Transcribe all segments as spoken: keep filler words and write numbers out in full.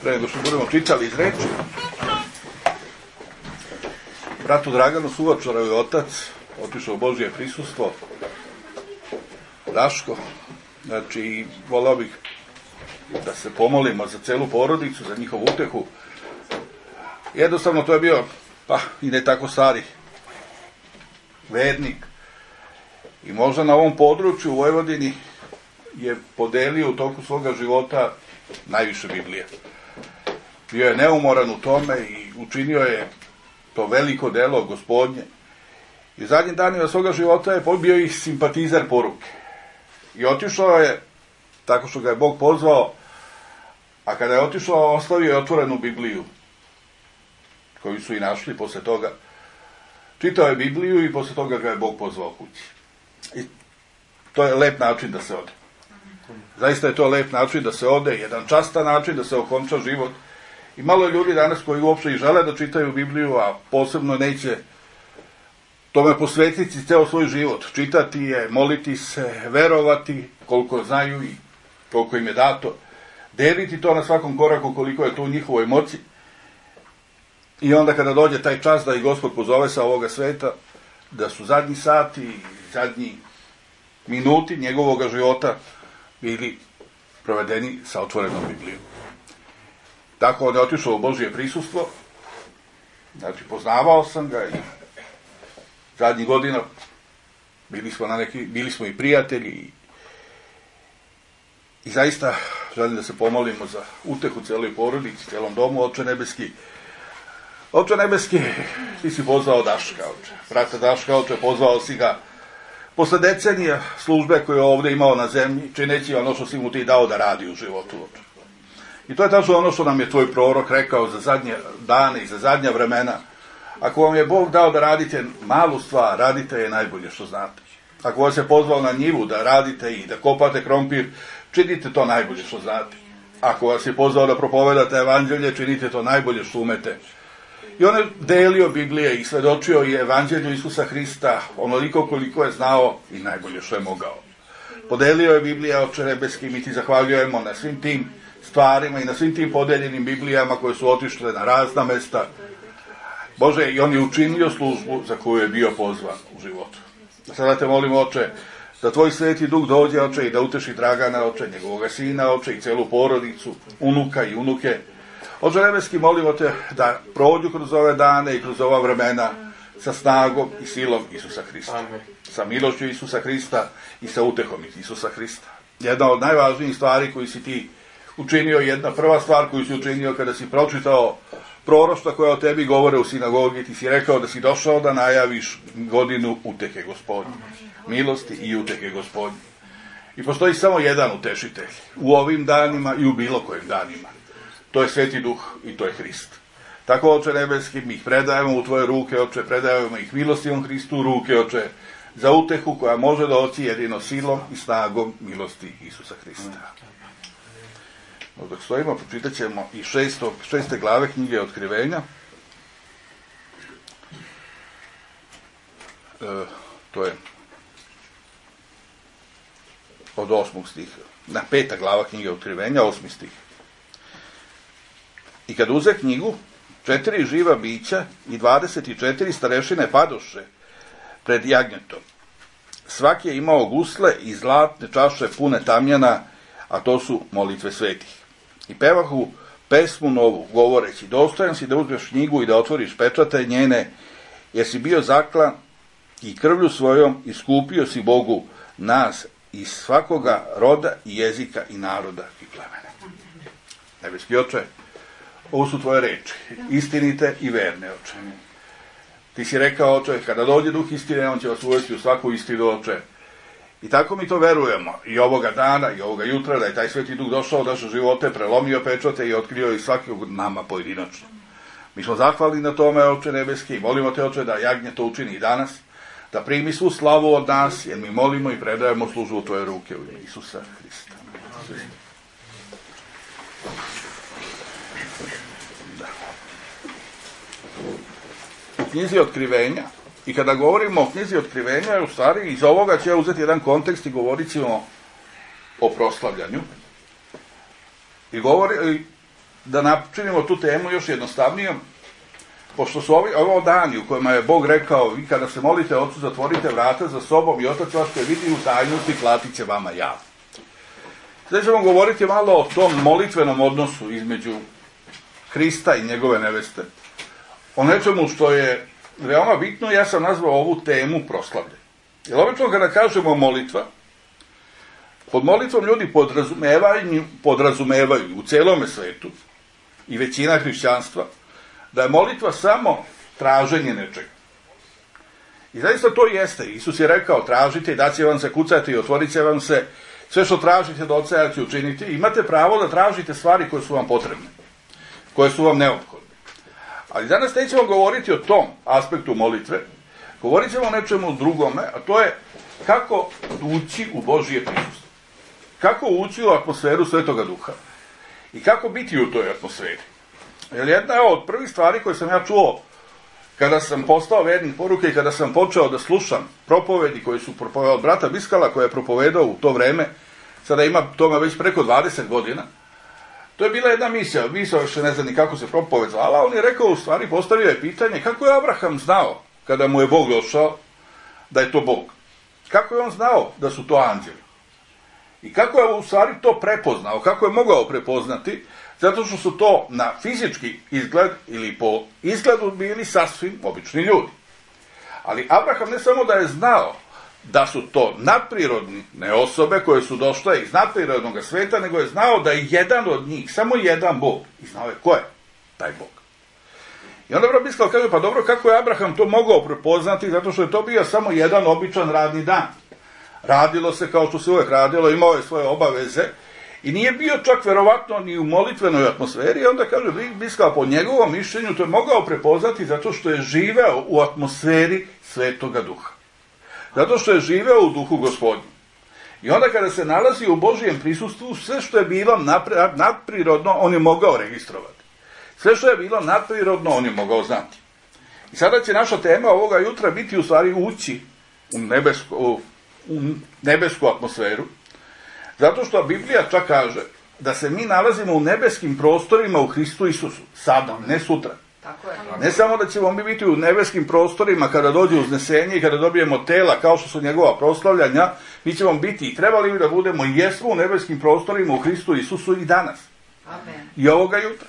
pre nego što budemo čitali iz reči, bratu Draganu Suvačaru je otac otišao u Božje prisustvo, Daško, znači volao bih da se pomolimo za celu porodicu, za njihovu utehu. Jednostavno to je bio, pa i ne tako stari vednik i možda na ovom području u Vojvodini je podelio u toku svoga života najviše Biblije. Bio je neumoran u tome i učinio je to veliko delo Gospodnje. I u zadnjim danima svoga života je bio i simpatizer poruke. I otišao je, tako što ga je Bog pozvao, a kada je otišao, ostavio je otvorenu Bibliju, koju su i našli posle toga. Čitao je Bibliju i posle toga ga je Bog pozvao kući. I to je lep način da se ode. Zaista je to lep način da se ode, jedan častan način da se okonča život. I malo je ljudi danas koji uopšte i žele da čitaju Bibliju, a posebno neće tome posvetiti ceo svoj život. Čitati je, moliti se, verovati koliko znaju i koliko im je dato. Deliti to na svakom koraku koliko je to u njihovoj moći. I onda kada dođe taj čas da i Gospod pozove sa ovoga sveta, da su zadnji sati, zadnji minuti njegovog života bili provedeni sa otvorenom Biblijom. Tako on je otišao u Božje prisustvo, znači poznavao sam ga i zadnjih godina bili smo, na neki, bili smo i prijatelji i, i zaista želim da se pomolimo za utehu celoj porodici, celom domu. Oče nebeski, Oče nebeski, ti si pozvao Daška, oče. Brata Daška, oče, pozvao si ga posle decenija službe koje je ovde imao na zemlji, čineći ono što si mu ti dao da radi u životu, oče. I to je tačno ono što nam je tvoj prorok rekao za zadnje dane i za zadnja vremena. Ako vam je Bog dao da radite malu stvar, radite je najbolje što znate. Ako vas je pozvao na njivu da radite i da kopate krompir, činite to najbolje što znate. Ako vas je pozvao da propovedate evanđelje, činite to najbolje što umete. I on je delio Biblije i svedočio je evanđelju Isusa Hrista onoliko koliko je znao i najbolje što je mogao. Podelio je Biblija, Oče nebeski, mi ti zahvaljujemo na svim tim stvarima i na svim tim podeljenim Biblijama koje su otišle na razna mesta. Bože, i on je učinio službu za koju je bio pozvan u životu. Sada te molimo, Oče, da tvoj sveti duh dođe, Oče, i da uteši Dragana, Oče, njegovoga sina, Oče, i celu porodicu, unuka i unuke. Oče nebeski, molimo te da prođu kroz ove dane i kroz ova vremena sa snagom i silom Isusa Hrista. Amen. Sa milošću Isusa Hrista i sa utehom Isusa Hrista. Jedna od najvažnijih stvari koju si ti učinio, jedna prva stvar koju si učinio kada si pročitao proroštva koja o tebi govore u sinagogi, ti si rekao da si došao da najaviš godinu utehe Gospodnje, milosti i utehe Gospodnje. I postoji samo jedan utešitelj u ovim danima i u bilo kojim danima. To je Sveti Duh i to je Hrist. Tako, Oče nebeski, mi ih predajemo u tvoje ruke, Oče, predajemo ih milostivom Hristu u ruke, Oče, za utehu koja može doći jedino silom i snagom milosti Isusa Hrista. Dok stojimo, pročitat ćemo i šesto, šeste glave knjige Otkrivenja. E, to je od osmog stiha. Na peta glava knjige Otkrivenja, osmi stih. I kad uze knjigu, četiri živa bića i dvadeset četiri starešine padoše pred jagnjetom. Svaki je imao gusle i zlatne čaše pune tamjana, a to su molitve svetih. I pevahu pesmu novu, govoreći, dostojan si da uzmeš knjigu i da otvoriš pečate njene, jer si bio zaklan i krvlju svojom iskupio si Bogu nas iz svakoga roda i jezika i naroda i plemena. Nebeski Oče, ovo su tvoje reči, istinite i verne, Oče. Ti si rekao, Oče, kada dođe Duh istine, on će vas uvesti u svaku istinu, Oče. I tako mi to verujemo, i ovoga dana, i ovoga jutra, da je taj Sveti Duh došao u naše živote, prelomio pečate i otkrio i svakog od nama pojedinačno. Mi smo zahvalni na tome, Oče nebeski, i molimo te, Oče, da jagnje to učini i danas, da primi svu slavu od nas, jer mi molimo i predajemo službu u tvoje ruke u ime Isusa Hrista. Da. U knjizi Otkrivenja, i kada govorimo o knjizi Otkrivenja, u stvari iz ovoga će uzeti jedan kontekst i govorit ćemo o proslavljanju. I govori, da načinimo tu temu još jednostavnijom, pošto su ovi, ovo dani u kojima je Bog rekao, vi kada se molite Ocu, zatvorite vrata za sobom i Otac vas koji vidi u tajnosti platit će vama javno. Sada ćemo govoriti malo o tom molitvenom odnosu između Hrista i njegove neveste. O nečemu što je veoma bitno, ja sam nazvao ovu temu proslavlje. Jer obično kada kažemo molitva, pod molitvom ljudi podrazumevaju, podrazumevaju u celome svetu i većina hrišćanstva da je molitva samo traženje nečega. I zaista to jeste. Isus je rekao, tražite i daće vam se, kucati i otvorit će vam se, sve što tražite da Oca ja ću učiniti. Imate pravo da tražite stvari koje su vam potrebne, koje su vam neophodne. Ali danas nećemo govoriti o tom aspektu molitve, govorit ćemo o nečemu drugome, a to je kako ući u Božije prisustvo. Kako ući u atmosferu Svetoga Duha i kako biti u toj atmosferi. Jer jedna od prvih stvari koje sam ja čuo kada sam postao vernik poruke i kada sam počeo da slušam propovedi koje su propovedali od brata Biskala, koji je propovedao u to vreme, sada ima toga već preko dvadeset godina, to je bila jedna misija, misija još ne znam ni kako se propoved zvala, on je rekao, u stvari postavio je pitanje kako je Abraham znao kada mu je Bog došao da je to Bog. Kako je on znao da su to anđeli? I kako je u stvari to prepoznao, kako je mogao prepoznati, zato što su to na fizički izgled ili po izgledu bili sasvim obični ljudi. Ali Abraham ne samo da je znao da su to nadprirodne osobe koje su došle iz nadprirodnog sveta, nego je znao da je jedan od njih, samo jedan Bog. I znao je ko je taj Bog. I onda Brat Biskal kaže, pa dobro, kako je Abraham to mogao prepoznati, zato što je to bio samo jedan običan radni dan. Radilo se kao što se uvek radilo, imao je svoje obaveze i nije bio čak verovatno ni u molitvenoj atmosferi. I onda kaže Biskal, po njegovom mišljenju to je mogao prepoznati zato što je živeo u atmosferi Svetoga Duha. Zato što je živeo u Duhu Gospodnju. I onda kada se nalazi u Božijem prisustvu, sve što je bilo nadprirodno, on je mogao registrovati. Sve što je bilo nadprirodno, on je mogao znati. I sada će naša tema ovoga jutra biti u stvari ući u nebesku, u, u nebesku atmosferu, zato što Biblija čak kaže da se mi nalazimo u nebeskim prostorima u Hristu Isusu, sada, ne sutra. Tako je. Ne samo da ćemo mi biti u nebeskim prostorima kada dođe uznesenje i kada dobijemo tela kao što su njegova proslavljanja, mi ćemo biti i trebali bi da budemo i jesmo u nebeskim prostorima u Hristu Isusu i danas. Amen. I ovoga jutra.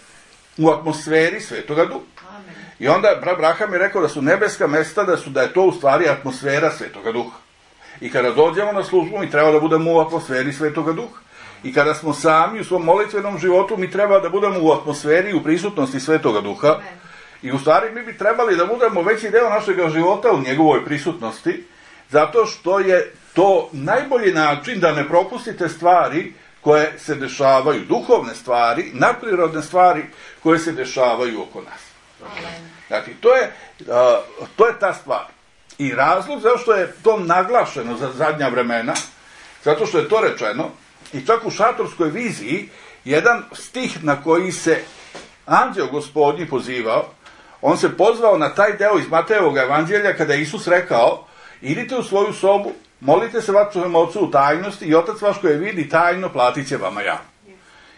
U atmosferi Svetoga Duha. Amen. I onda Abraham je rekao da su nebeska mesta, da su da je to u stvari atmosfera Svetoga Duha. I kada dođemo na službu, mi treba da budemo u atmosferi Svetoga Duha. I kada smo sami u svom molitvenom životu, mi treba da budemo u atmosferi, u prisutnosti Svetoga Duha. Amen. I u stvari mi bi trebali da budemo veći deo našeg života u njegovoj prisutnosti, zato što je to najbolji način da ne propustite stvari koje se dešavaju, duhovne stvari, nadprirodne stvari koje se dešavaju oko nas. Amen. Znači, to je, uh, to je ta stvar. I razlog zašto je to naglašeno za zadnja vremena, zato što je to rečeno, i čak u šatorskoj viziji, jedan stih na koji se anđeo Gospodnji pozivao, on se pozvao na taj deo iz Matejevog evanđelja kada je Isus rekao, idite u svoju sobu, molite se vašem Ocu u tajnosti i Otac vaš koji vidi tajno platit će vama javno.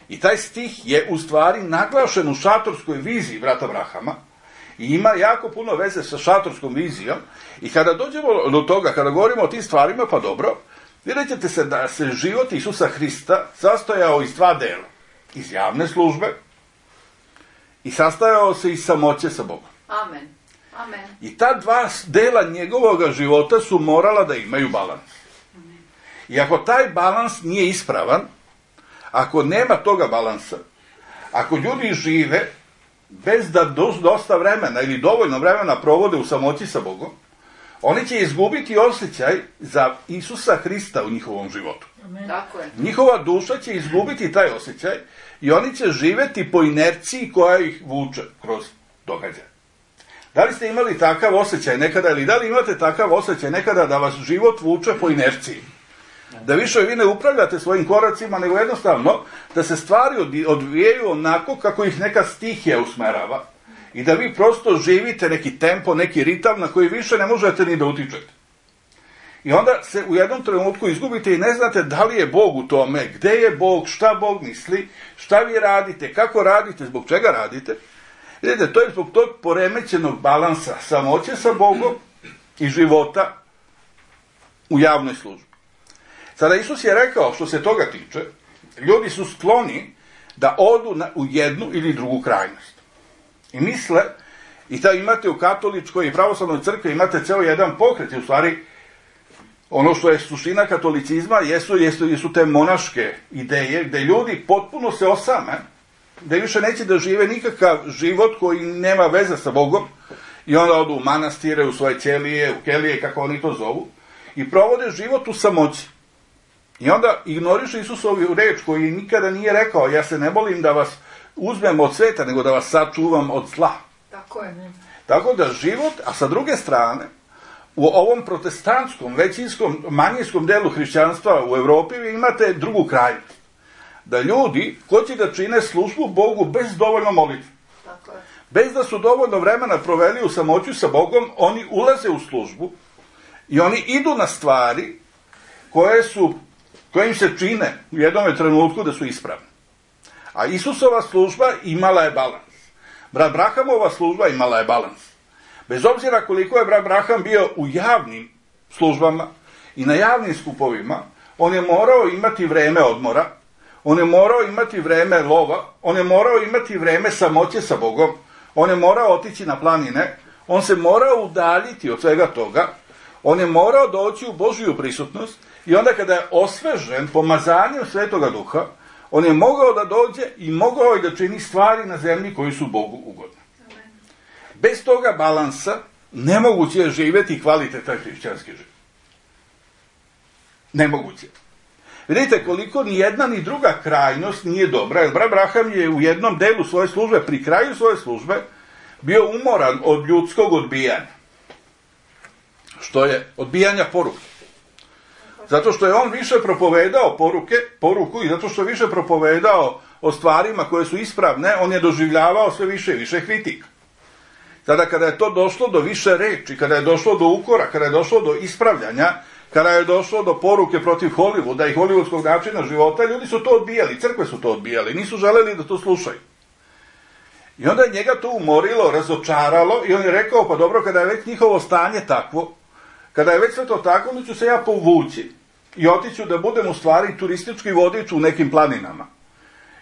I taj stih je u stvari naglašen u šatorskoj viziji brata Abrahama i ima jako puno veze sa šatorskom vizijom. I kada dođemo do toga, kada govorimo o tim stvarima, pa dobro, vidjet ćete se da se život Isusa Hrista sastojao iz dva dela. Iz javne službe i sastojao se iz samoće sa Bogom. Amen. Amen. I ta dva dela njegovog života su morala da imaju balans. I ako taj balans nije ispravan, ako nema toga balansa, ako ljudi žive bez da dosta vremena ili dovoljno vremena provode u samoći sa Bogom, oni će izgubiti osjećaj za Isusa Hrista u njihovom životu. Amen. Tako je. Njihova duša će izgubiti taj osjećaj i oni će živeti po inerciji koja ih vuče kroz događaje. Da li ste imali takav osjećaj nekada ili da li imate takav osjećaj nekada da vas život vuče po inerciji? Da više vi ne upravljate svojim koracima, nego jednostavno da se stvari odvijaju onako kako ih neka stihija usmerava i da vi prosto živite neki tempo, neki ritam na koji više ne možete ni da utičete. I onda se u jednom trenutku izgubite i ne znate da li je Bog u tome, gde je Bog, šta Bog misli, šta vi radite, kako radite, zbog čega radite. Vidite, to je zbog tog poremećenog balansa samoće sa Bogom i života u javnoj službi. Sada Isus je rekao, što se toga tiče, ljudi su skloni da odu na, u jednu ili drugu krajnost. I misle, i da imate u katoličkoj i pravoslavnoj crkvi, imate ceo jedan pokret, i u stvari ono što je suština katolicizma jesu, jesu, jesu te monaške ideje, gde ljudi potpuno se osame, gde više neće da žive nikakav život koji nema veze sa Bogom, i onda odu u manastire, u svoje ćelije, u kelije, kako oni to zovu, i provode život u samoći. I onda ignoriše Isusovu reč koji nikada nije rekao, ja se ne bolim da vas uzmem od sveta, nego da vas sačuvam od zla. Tako je. Tako da život, a sa druge strane, u ovom protestantskom, većinskom, manjinskom delu hrišćanstva u Evropi vi imate drugu krajnost. Da ljudi hoće da čine službu Bogu bez dovoljno molitve. Tako je. Bez da su dovoljno vremena proveli u samoću sa Bogom, oni ulaze u službu i oni idu na stvari koje su, koje im se čine u jednom trenutku da su ispravne. A Isusova služba imala je balans. Brat Brahamova služba imala je balans. Bez obzira koliko je brat Braham bio u javnim službama i na javnim skupovima, on je morao imati vreme odmora, on je morao imati vreme lova, on je morao imati vreme samoće sa Bogom, on je morao otići na planine, on se morao udaljiti od svega toga, on je morao doći u Božju prisutnost i onda kada je osvežen pomazanjem Svetoga Duha, on je mogao da dođe i mogao je da čini stvari na zemlji koji su Bogu ugodne. Bez toga balansa nemoguće je živjeti kvalitetan hrišćanski život. Nemoguće. Vidite koliko ni jedna ni druga krajnost nije dobra, jer brat Braham je u jednom delu svoje službe, pri kraju svoje službe, bio umoran od ljudskog odbijanja. Što je odbijanja poruke. Zato što je on više propovedao poruke, poruku i zato što je više propovedao o stvarima koje su ispravne, on je doživljavao sve više i više kritika. Tada kada je to došlo do više reči, kada je došlo do ukora, kada je došlo do ispravljanja, kada je došlo do poruke protiv Hollywooda i hollywoodskog načina života, ljudi su to odbijali, crkve su to odbijali, nisu želeli da to slušaju. I onda je njega to umorilo, razočaralo i on je rekao, pa dobro, kada je već njihovo stanje takvo, kada je već sve to tako, onda ću se ja povući i otiću da budem u stvari turistički vodič u nekim planinama.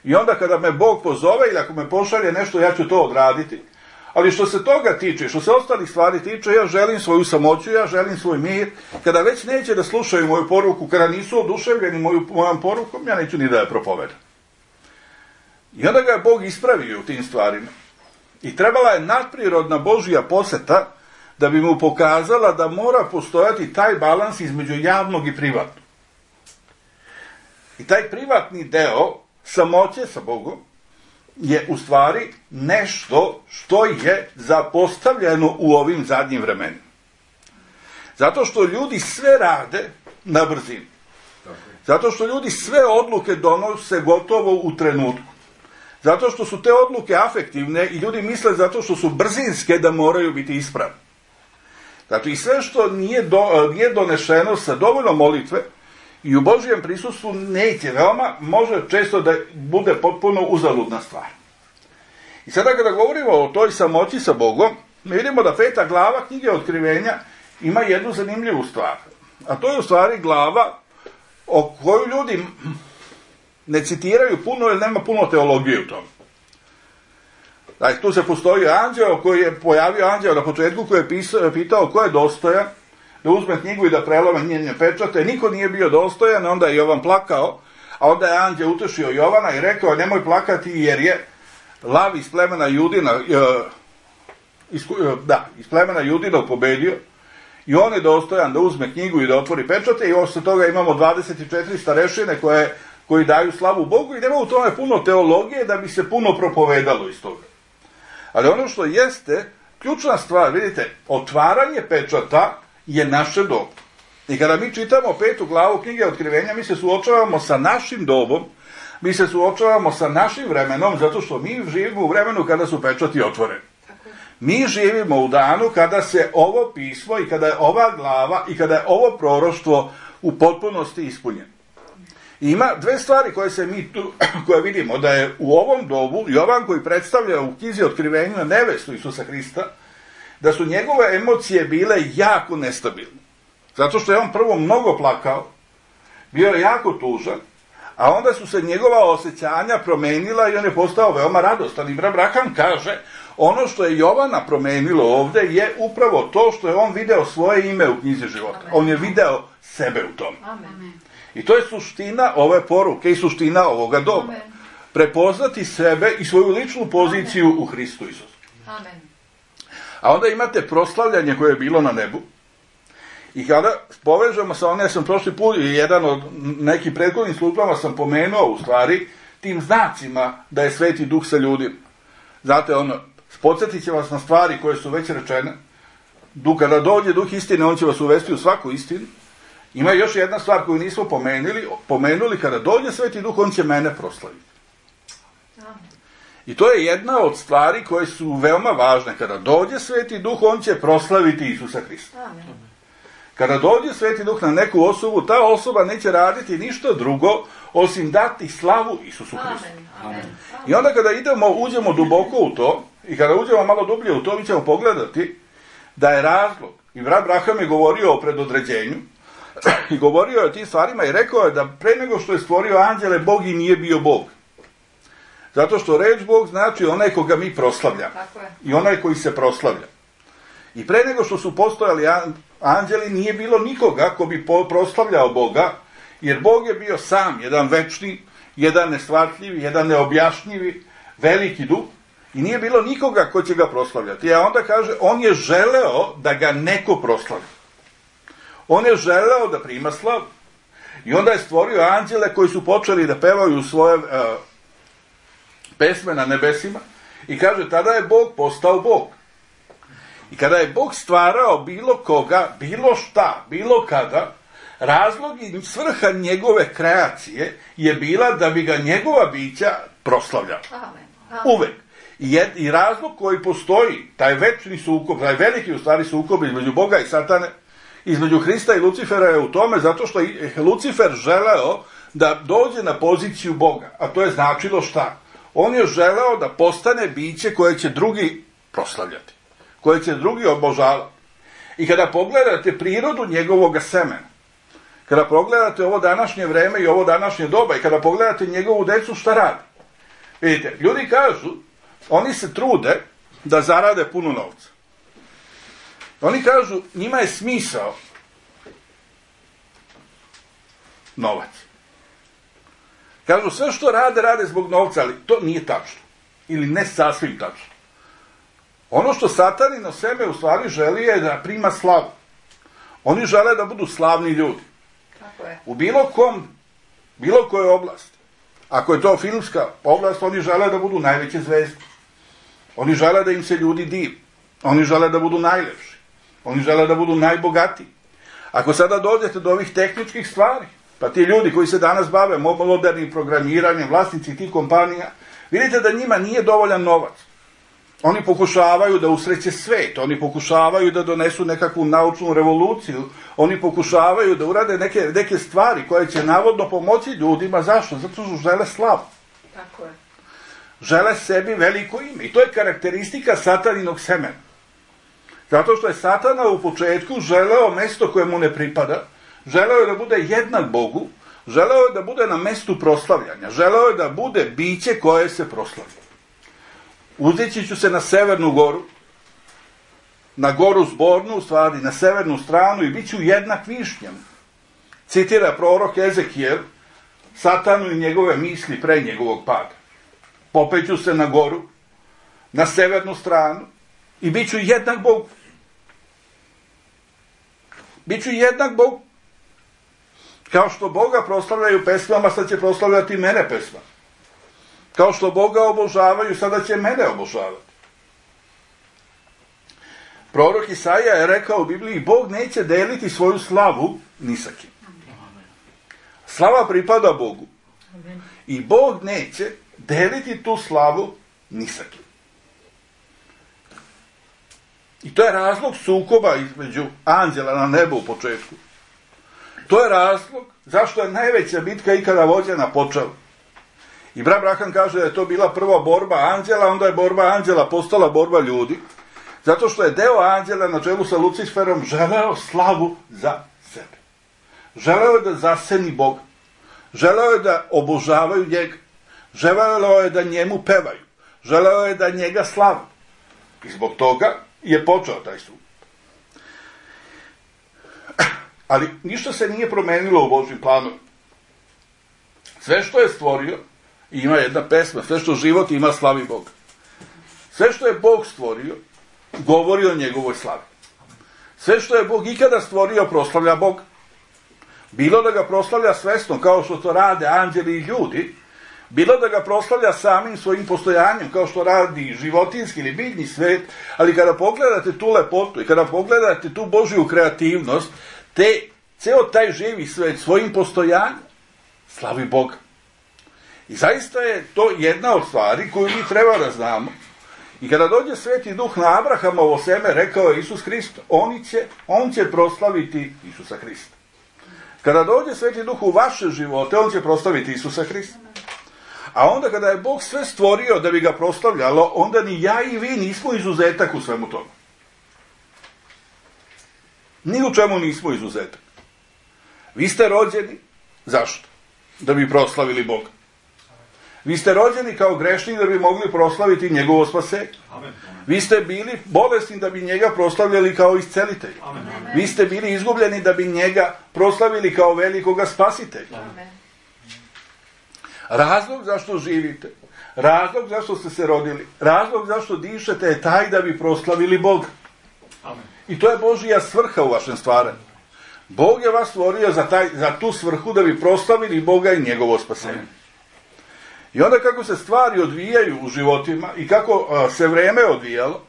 I onda kada me Bog pozove ili ako me pošalje nešto, ja ću to odraditi. Ali što se toga tiče, što se ostalih stvari tiče, ja želim svoju samoću, ja želim svoj mir. Kada već neće da slušaju moju poruku, kada nisu oduševljeni moju, mojom porukom, ja neću ni da je propovedam. I onda ga je Bog ispravio u tim stvarima. I trebala je nadprirodna Božja poseta da bi mu pokazala da mora postojati taj balans između javnog i privatnog. I taj privatni deo samoće sa Bogom je u stvari nešto što je zapostavljeno u ovim zadnjim vremenima. Zato što ljudi sve rade na brzinu. Zato što ljudi sve odluke donose gotovo u trenutku. Zato što su te odluke afektivne i ljudi misle zato što su brzinske da moraju biti ispravne. Znači i sve što nije, do, nije donešeno sa dovoljno molitve i u Božijem prisustvu neće veoma, može često da bude potpuno uzaludna stvar. I sada kada govorimo o toj samoći sa Bogom, mi vidimo da peta glava knjige Otkrivenja ima jednu zanimljivu stvar. A to je u stvari glava o kojoj ljudi ne citiraju puno jer nema puno teologije u tome. Znači, tu se postoji anđeo koji je pojavio anđeo na početku koji je pisao, pitao ko je dostojan da uzme knjigu i da prelome njene pečate. Niko nije bio dostojan, onda je Jovan plakao, a onda je anđeo utešio Jovana i rekao nemoj plakati jer je lav iz plemena Judina, iz, da, iz plemena Judina pobedio i on je dostojan da uzme knjigu i da otvori pečate i osle toga imamo dvadeset četiri starešine koje, koji daju slavu Bogu i nema u tome puno teologije da bi se puno propovedalo iz toga. Ali ono što jeste, ključna stvar, vidite, otvaranje pečata je naše doba. I kada mi čitamo petu glavu knjige Otkrivenja, mi se suočavamo sa našim dobom, mi se suočavamo sa našim vremenom, zato što mi živimo u vremenu kada su pečati otvoreni. Mi živimo u danu kada se ovo pismo i kada je ova glava i kada je ovo proroštvo u potpunosti ispunjeno. Ima dve stvari koje se mi tu, koje vidimo, da je u ovom dobu Jovan koji predstavlja u knjizi Otkrivenja nevestu Isusa Hrista, da su njegove emocije bile jako nestabilne. Zato što je on prvo mnogo plakao, bio je jako tužan, a onda su se njegova osjećanja promenila i on je postao veoma radostan. I brat Branham kaže, ono što je Jovana promenilo ovde je upravo to što je on video svoje ime u knjizi života. Amen. On je video sebe u tome. Amen. I to je suština ove poruke i suština ovoga doba. Amen. Prepoznati sebe i svoju ličnu poziciju Amen. U Hristu Isusu. Amen. A onda imate proslavljanje koje je bilo na nebu. I kada povežemo sa onim, ja sam prošli put, jedan od nekih prethodnih službama sam pomenuo u stvari tim znacima da je Sveti Duh sa ljudima. Znate, ono, podsjetit će vas na stvari koje su već rečene. Duh, kada dođe Duh istine, on će vas uvesti u svaku istinu. Ima još jedna stvar koju nismo pomenuli, pomenuli, kada dođe Sveti Duh, on će mene proslaviti. I to je jedna od stvari koje su veoma važne. Kada dođe Sveti Duh, on će proslaviti Isusa Hrista. Amen. Kada dođe Sveti Duh na neku osobu, ta osoba neće raditi ništa drugo osim dati slavu Isusu Hristu. Amen. Amen. I onda kada idemo, uđemo duboko u to, i kada uđemo malo dublje u to, mi ćemo pogledati da je razlog. I brat Branham je govorio o predodređenju i govorio je o tim stvarima i rekao je da pre nego što je stvorio anđele, Bog i nije bio Bog. Zato što reč Bog znači onaj koga mi proslavljamo. I onaj koji se proslavlja. I pre nego što su postojali anđeli, nije bilo nikoga ko bi proslavljao Boga, jer Bog je bio sam, jedan večni, jedan nestvartljivi, jedan neobjašnjivi, veliki duh, i nije bilo nikoga ko će ga proslavljati. A onda kaže, on je želeo da ga neko proslavlja. On je želeo da prima slavu. I onda je stvorio anđele koji su počeli da pevaju svoje uh, pesme na nebesima, i kaže, tada je Bog postao Bog. I kada je Bog stvarao bilo koga, bilo šta, bilo kada, razlog i svrha njegove kreacije je bila da bi ga njegova bića proslavljala. Amen. Amen. Uvek. I, jed, I razlog koji postoji, taj večni sukob, taj veliki u stvari sukob između Boga i Satane, između Hrista i Lucifera je u tome zato što je Lucifer želeo da dođe na poziciju Boga. A to je značilo šta? On je želeo da postane biće koje će drugi proslavljati, koje će drugi obožavati. I kada pogledate prirodu njegovog semena, kada pogledate ovo današnje vreme i ovo današnje doba, i kada pogledate njegovu decu, šta radi? Vidite, ljudi kažu, oni se trude da zarade puno novca. Oni kažu, njima je smisao novac. Kažu, sve što rade, rade zbog novca, ali to nije tačno. Ili ne sasvim tačno. Ono što Satanino seme u stvari želi je da prima slavu. Oni žele da budu slavni ljudi. Tako je. U bilo kom, bilo kojoj oblasti. Ako je to filmska oblast, oni žele da budu najveće zvezde. Oni žele da im se ljudi divi. Oni žele da budu najlepši. Oni žele da budu najbogatiji. Ako sada dođete do ovih tehničkih stvari, pa ti ljudi koji se danas bave modernim programiranjem, vlasnici tih kompanija, vidite da njima nije dovoljan novac. Oni pokušavaju da usreće svet, oni pokušavaju da donesu nekakvu naučnu revoluciju, oni pokušavaju da urade neke, neke stvari koje će navodno pomoći ljudima. Zašto? Zato što žele slavu. Tako je. Žele sebi veliko ime. I to je karakteristika Sataninog semena. Zato što je Satana u početku želeo mesto koje mu ne pripada, želeo je da bude jednak Bogu, želeo je da bude na mestu proslavljanja, želeo je da bude biće koje se proslavlja. Uzeći ću se na severnu goru, na goru zbornu, u stvari na severnu stranu, i bit ću jednak višnjama. Citira prorok Ezekijel Satanu i njegove misli pre njegovog pada. Popeću se na goru, na severnu stranu, i bit ću jednak Bogu. Biću jednak Bogu. Kao što Boga proslavljaju pesmama, sad će proslavljati mene pesma. Kao što Boga obožavaju, sada će mene obožavati. Prorok Isaija je rekao u Bibliji, Bog neće deliti svoju slavu ni sa kim. Slava pripada Bogu. I Bog neće deliti tu slavu ni sa kim. I to je razlog sukoba između anđela na nebu u početku. To je razlog zašto je najveća bitka ikada vođena počela. I brat Branham kaže da je to bila prva borba anđela, onda je borba anđela postala borba ljudi, zato što je deo anđela na čelu sa Luciferom želeo slavu za sebe. Želeo je da zaseni Boga. Želeo je da obožavaju njega. Želeo je da njemu pevaju. Želeo je da njega slavu. I zbog toga je počeo taj sud. Ali ništa se nije promenilo u Božjem planu. Sve što je stvorio, ima jedna pesma, sve što život ima slavi Boga. Sve što je Bog stvorio, govori o njegovoj slavi. Sve što je Bog ikada stvorio, proslavlja Boga. Bilo da ga proslavlja svesno, kao što to rade anđeli i ljudi, bilo da ga proslavlja samim svojim postojanjem, kao što radi životinski ili biljni svet, ali kada pogledate tu lepotu i kada pogledate tu Božju kreativnost, te, ceo taj živi svet svojim postojanjem slavi Boga. I zaista je to jedna od stvari koju mi treba da znamo. I kada dođe Sveti Duh na Abrahamovo seme, rekao je Isus Hrist, on će, on će proslaviti Isusa Hrista. Kada dođe Sveti Duh u vaše živote, on će proslaviti Isusa Hrista. A onda kada je Bog sve stvorio da bi ga proslavljalo, onda ni ja i vi nismo izuzetak u svemu tome. Ni u čemu nismo izuzetak. Vi ste rođeni, zašto? Da bi proslavili Boga. Vi ste rođeni kao grešnik da bi mogli proslaviti njegovo spasenje. Vi ste bili bolesni da bi njega proslavljali kao iscelitelja. Vi ste bili izgubljeni da bi njega proslavili kao velikoga spasitelja. Razlog zašto živite, razlog zašto ste se rodili, razlog zašto dišete je taj da bi proslavili Boga. I to je Božija svrha u vašem stvaranju. Bog je vas stvorio za, taj, za tu svrhu da bi proslavili Boga i njegovo spasenje. I onda kako se stvari odvijaju u životima i kako a, se vreme odvijalo,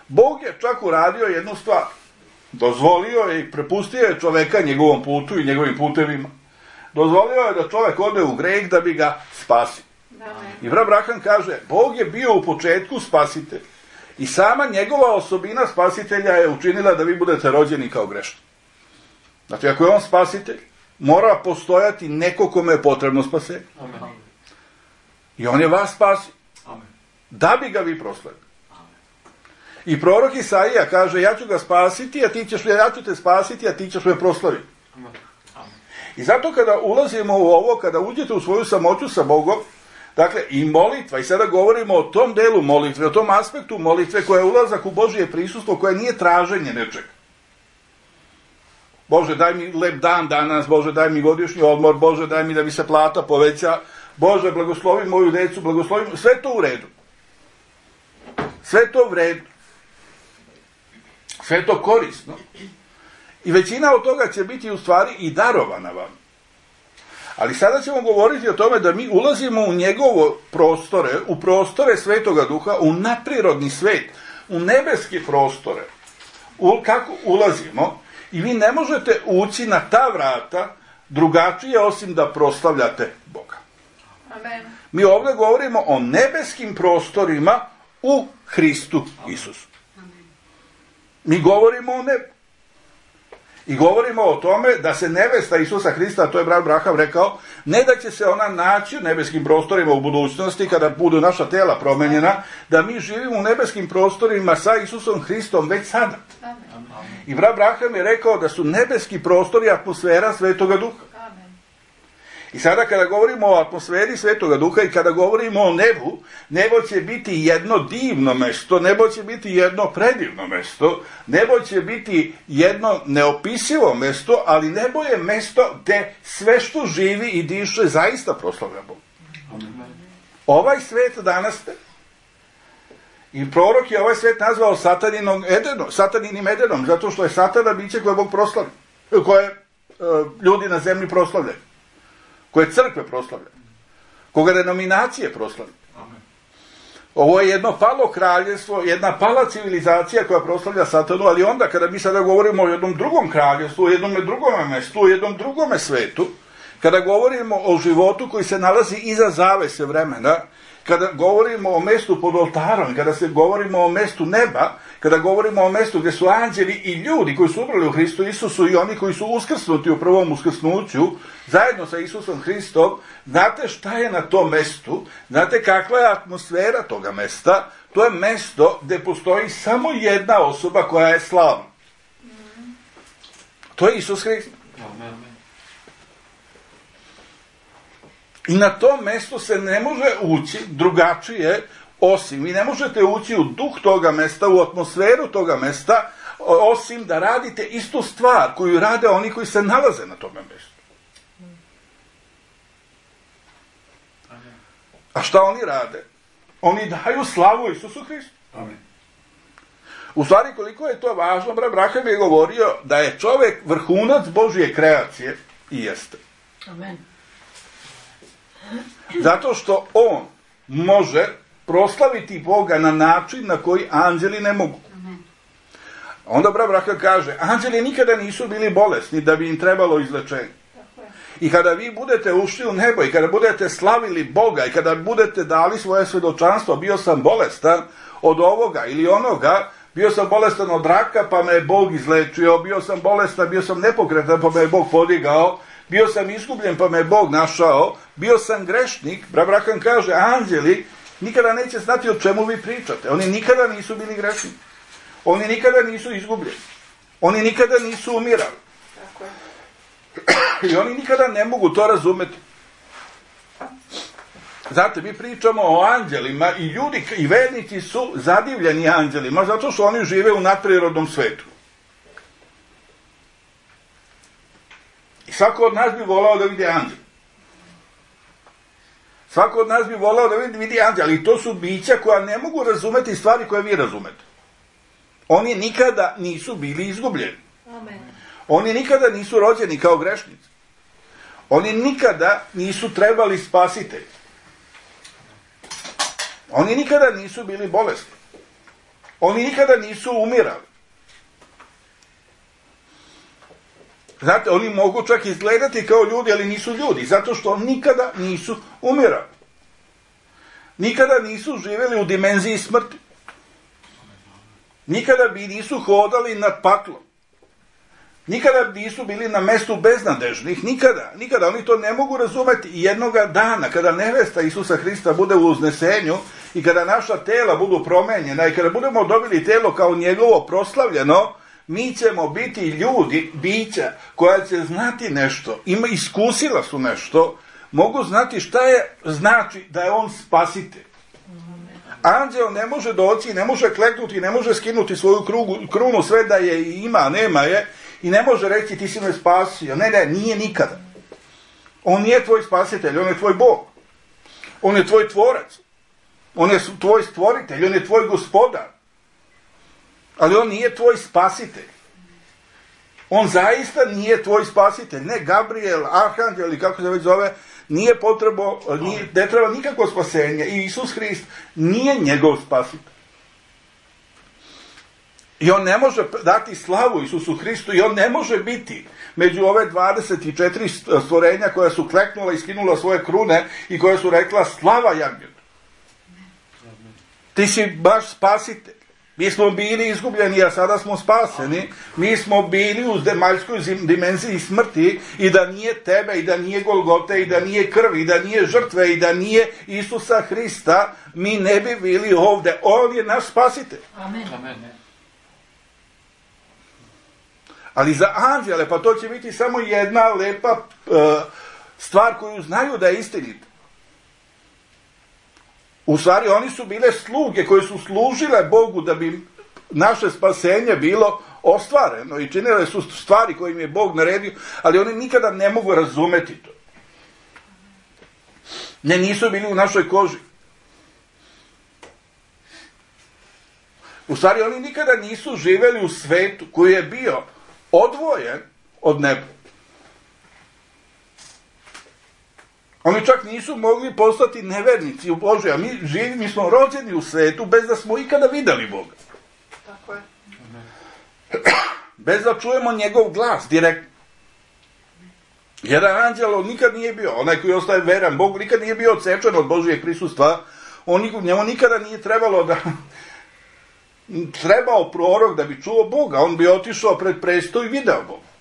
Bog je čak uradio jednu stvar. Dozvolio je i prepustio je čoveka njegovom putu i njegovim putevima. Dozvolio je da čovek ode u greh da bi ga spasio. I brat Branham kaže, Bog je bio u početku spasitelj. I sama njegova osobina spasitelja je učinila da vi budete rođeni kao grešni. Znači, ako je on spasitelj, mora postojati neko kome je potrebno spasenje. I on je vas spasio. Da bi ga vi proslavili. I prorok Isaija kaže, ja ću ga spasiti, a ti ćeš, ja ću te spasiti, a ti ćeš me proslaviti. I zato kada ulazimo u ovo, kada uđete u svoju samoću sa Bogom, dakle, i molitva, i sada govorimo o tom delu molitve, o tom aspektu molitve koja je ulazak u Božje prisustvo, koja nije traženje nečega. Bože, daj mi lep dan danas, Bože, daj mi godišnji odmor, Bože, daj mi da mi se plata poveća, Bože, blagoslovi moju decu, blagoslovi, sve to u redu. Sve to u redu. Sve to korisno. I većina od toga će biti u stvari i darovana vam. Ali sada ćemo govoriti o tome da mi ulazimo u njegovo prostore, u prostore Svetoga Duha, u nadprirodni svet, u nebeske prostore. U, kako ulazimo? I vi ne možete ući na ta vrata drugačije osim da proslavljate Boga. Amen. Mi ovdje govorimo o nebeskim prostorima u Hristu Isusu. Mi govorimo o nebu. I govorimo o tome da se nevesta Isusa Hrista, to je brat Branham rekao, ne da će se ona naći u nebeskim prostorima u budućnosti kada budu naša tela promenjena, da mi živimo u nebeskim prostorima sa Isusom Hristom već sada. Amen. I brat Branham je rekao da su nebeski prostori atmosfera Svetoga Duha. Amen. I sada kada govorimo o atmosferi Svetoga Duha i kada govorimo o nebu, nebo će biti jedno divno mesto, nebo će biti jedno predivno mesto, nebo će biti jedno neopisivo mesto, ali nebo je mesto gde sve što živi i diše zaista proslavlja Boga. Ovaj svet danas ste, i prorok je ovaj svet nazvao sataninom Edenom, sataninim Edenom, zato što je satana biće koje Bog proslavlja, koje uh, ljudi na zemlji proslavljaju, koje crkve proslavljaju, koga denominacije proslavljaju. Ovo je jedno palo kraljevstvo, jedna pala civilizacija koja proslavlja satanu, ali onda kada mi sada govorimo o jednom drugom kraljevstvu, o jednom drugom mestu, o jednom drugom svetu, kada govorimo o životu koji se nalazi iza zavese vremena, kada govorimo o mestu pod oltarom, kada se govorimo o mestu neba, kada govorimo o mestu gdje su anđeli i ljudi koji su umrli u Hristu Isusu i oni koji su uskrsnuti u prvom uskrsnuću, zajedno sa Isusom Hristom, znate šta je na tom mestu, znate kakva je atmosfera toga mesta, to je mesto gdje postoji samo jedna osoba koja je slavna. To je Isus Hrist. I na tom mestu se ne može ući drugačije, osim, vi ne možete ući u duh toga mesta, u atmosferu toga mesta, osim da radite istu stvar koju rade oni koji se nalaze na tome mjestu. A šta oni rade? Oni daju slavu Isusu Hristu. Amen. U stvari, koliko je to važno, brat Braham je govorio da je čovjek vrhunac Božje kreacije i jeste. Amen. Zato što on može proslaviti Boga na način na koji anđeli ne mogu. Amen. Onda brat Braham kaže, anđeli nikada nisu bili bolesni da bi im trebalo izlečenje. I kada vi budete ušli u nebo i kada budete slavili Boga i kada budete dali svoje svjedočanstvo, bio sam bolestan od ovoga ili onoga, bio sam bolestan od raka pa me je Bog izlečio, bio sam bolestan, bio sam nepokretan pa me je Bog podigao, bio sam izgubljen pa me je Bog našao, bio sam grešnik, brat Braham kaže, anđeli nikada neće znati o čemu vi pričate, oni nikada nisu bili grešni, oni nikada nisu izgubljeni, oni nikada nisu umirali. Tako je. I oni nikada ne mogu to razumeti. Znate, mi pričamo o anđelima i ljudi i vernici su zadivljeni anđelima zato što oni žive u nadprirodnom svetu. I svako od nas bi volao da vidi anđel. Svako od nas bi volao da vidi, vidi anđel, ali to su bića koja ne mogu razumeti stvari koje vi razumete. Oni nikada nisu bili izgubljeni. Amen. Oni nikada nisu rođeni kao grešnici. Oni nikada nisu trebali spasitelj. Oni nikada nisu bili bolesni. Oni nikada nisu umirali. Znate, oni mogu čak izgledati kao ljudi, ali nisu ljudi, zato što nikada nisu umirali. Nikada nisu živjeli u dimenziji smrti. Nikada bi nisu hodali nad paklom. Nikada nisu bili na mestu beznadežnih, nikada, nikada, oni to ne mogu razumeti. I jednoga dana, kada nevesta Isusa Hrista bude u uznesenju i kada naša tela budu promenjena i kada budemo dobili telo kao njegovo proslavljeno, mi ćemo biti ljudi, bića, koja će znati nešto, ima, iskusila su nešto, mogu znati šta je, znači da je on spasitelj. Anđeo ne može doći, ne može kleknuti, ne može skinuti svoju krugu, krunu, sve da je ima, nema je, i ne može reći ti si me spasio. Ne, ne, nije nikada. On nije tvoj spasitelj, on je tvoj Bog. On je tvoj tvorac. On je tvoj stvoritelj, on je tvoj gospodar. Ali on nije tvoj spasitelj. On zaista nije tvoj spasitelj. Ne, Gabriel, Arhanđel ili kako se već zove, nije potrebo, nije, ne treba nikakvo spasenje. I Isus Hrist nije njegov spasitelj. I on ne može dati slavu Isusu Hristu i on ne može biti među ove dvadeset četiri stvorenja koja su kleknula i skinula svoje krune i koja su rekla slava Jagnetu. Ti si baš spasitelj. Mi smo bili izgubljeni, a sada smo spaseni. Mi smo bili u zemaljskoj dimenziji smrti i da nije tebe, i da nije Golgote, i da nije krvi, i da nije žrtve, i da nije Isusa Hrista, mi ne bi bili ovdje. On je naš spasitelj. Amen. Amen. Ali za anđele, pa to će biti samo jedna lepa uh, stvar koju znaju da je istinita. U stvari, oni su bile sluge koje su služile Bogu da bi naše spasenje bilo ostvareno i činile su stvari koje im je Bog naredio, ali oni nikada ne mogu razumeti to. Ne, nisu bili u našoj koži. U stvari, oni nikada nisu živjeli u svetu koji je bio odvojen od neba. Oni čak nisu mogli postati nevernici u Božju, a mi živi, mi smo rođeni u svetu bez da smo ikada vidjeli Boga. Tako je. Bez da čujemo njegov glas direktno. Jedan anđel nikad nije bio, onaj koji ostaje veran Bogu, nikad nije bio odsečen od Božjeg prisustva On, njemu nikada nije trebalo da... trebao prorok da bi čuo Boga. On bi otišao pred presto i video Boga.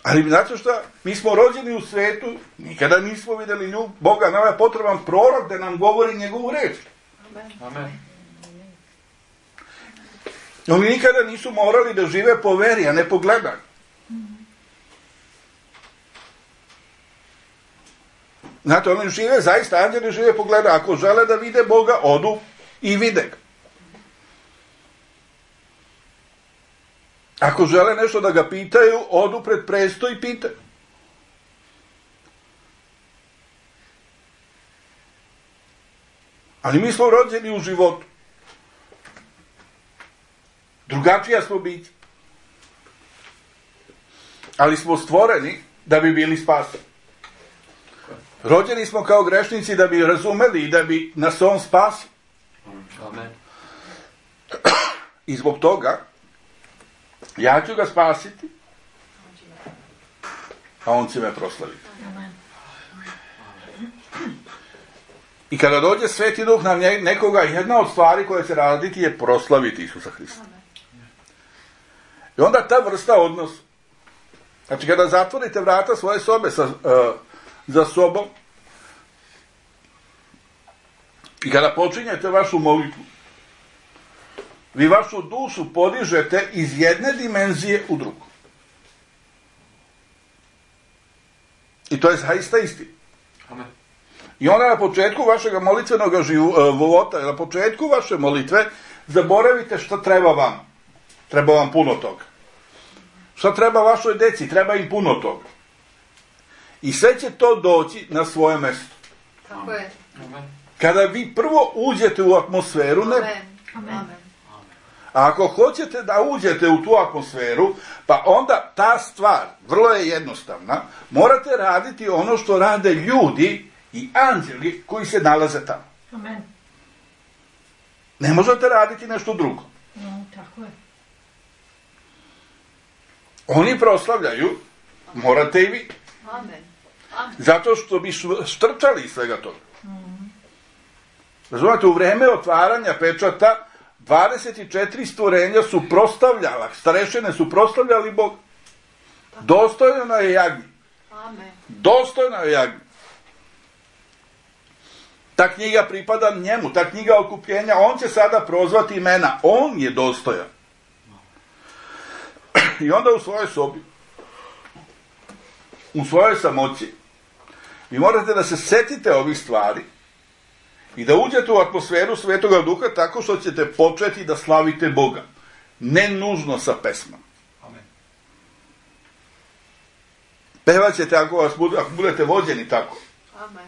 Ali znate šta? Mi smo rođeni u svetu, nikada nismo vidjeli nju, Boga, nama je potreban prorok da nam govori njegovu reč. Amen. Oni nikada nisu morali da žive po veri, a ne po gledanju. Znate, oni žive, zaista, anđeli žive po gledanju. Ako žele da vide Boga, odu i vide ga. Ako žele nešto da ga pitaju, odu pred presto i pitaju. Ali mi smo rođeni u životu. Drugačija smo biti. Ali smo stvoreni da bi bili spaseni. Rođeni smo kao grešnici da bi razumeli i da bi nas on spasio. Amen. I zbog toga ja ću ga spasiti, a on će me proslaviti. Amen. I kada dođe Sveti Duh na nekoga, jedna od stvari koje će raditi je proslaviti Isusa Hrista. I onda ta vrsta odnosa. Znači, kada zatvorite vrata svoje sobe sa, uh, za sobom i kada počinjete vašu molitvu, vi vašu dušu podižete iz jedne dimenzije u drugu. I to je zaista istina. Amen. I onda na početku vašeg molitvenog života, na početku vaše molitve, zaboravite šta treba vam. Treba vam puno toga. Šta treba vašoj deci? Treba im puno toga. I sve će to doći na svoje mjesto. Tako je. Amen. Kada vi prvo uđete u atmosferu neba. Amen. Amen. A ako hoćete da uđete u tu atmosferu, pa onda ta stvar, vrlo je jednostavna, morate raditi ono što rade ljudi i anđeli koji se nalaze tamo. Amen. Ne možete raditi nešto drugo. No, tako je. Oni proslavljaju, morate i vi. Amen. Amen. Zato što bi štrčali iz svega toga. Razumete, u vreme otvaranja pečata dvadeset četiri stvorenja su proslavljala, starešine su proslavljali Bog. Dostojno je jagnje. Amen. Dostojno je jagnje. Ta knjiga pripada njemu, ta knjiga okupljenja, on će sada prozvati imena, on je dostojan. I onda u svojoj sobi, u svojoj samoći, vi morate da se setite ovih stvari i da uđete u atmosferu Svetoga Duha tako što ćete početi da slavite Boga. Ne nužno sa pesmom. Amen. Pevat ćete ako, vas bude, ako budete vođeni tako. Amen.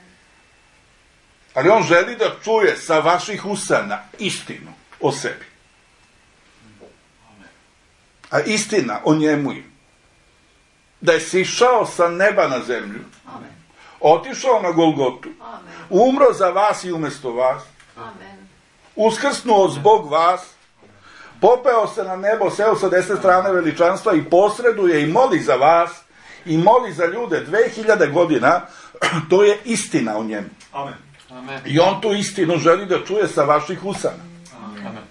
Ali on želi da čuje sa vaših usana istinu o sebi. A istina o njemu je da je sišao sa neba na zemlju, Amen. otišao na Golgotu, Amen. umro za vas i umjesto vas, Amen. uskrsnuo zbog vas, popeo se na nebo, seo sa desne strane veličanstva i posreduje i moli za vas i moli za ljude dve hiljade godina. To je istina o njemu. Amen. Amen. I on tu istinu želi da čuje sa vaših usana. Amen.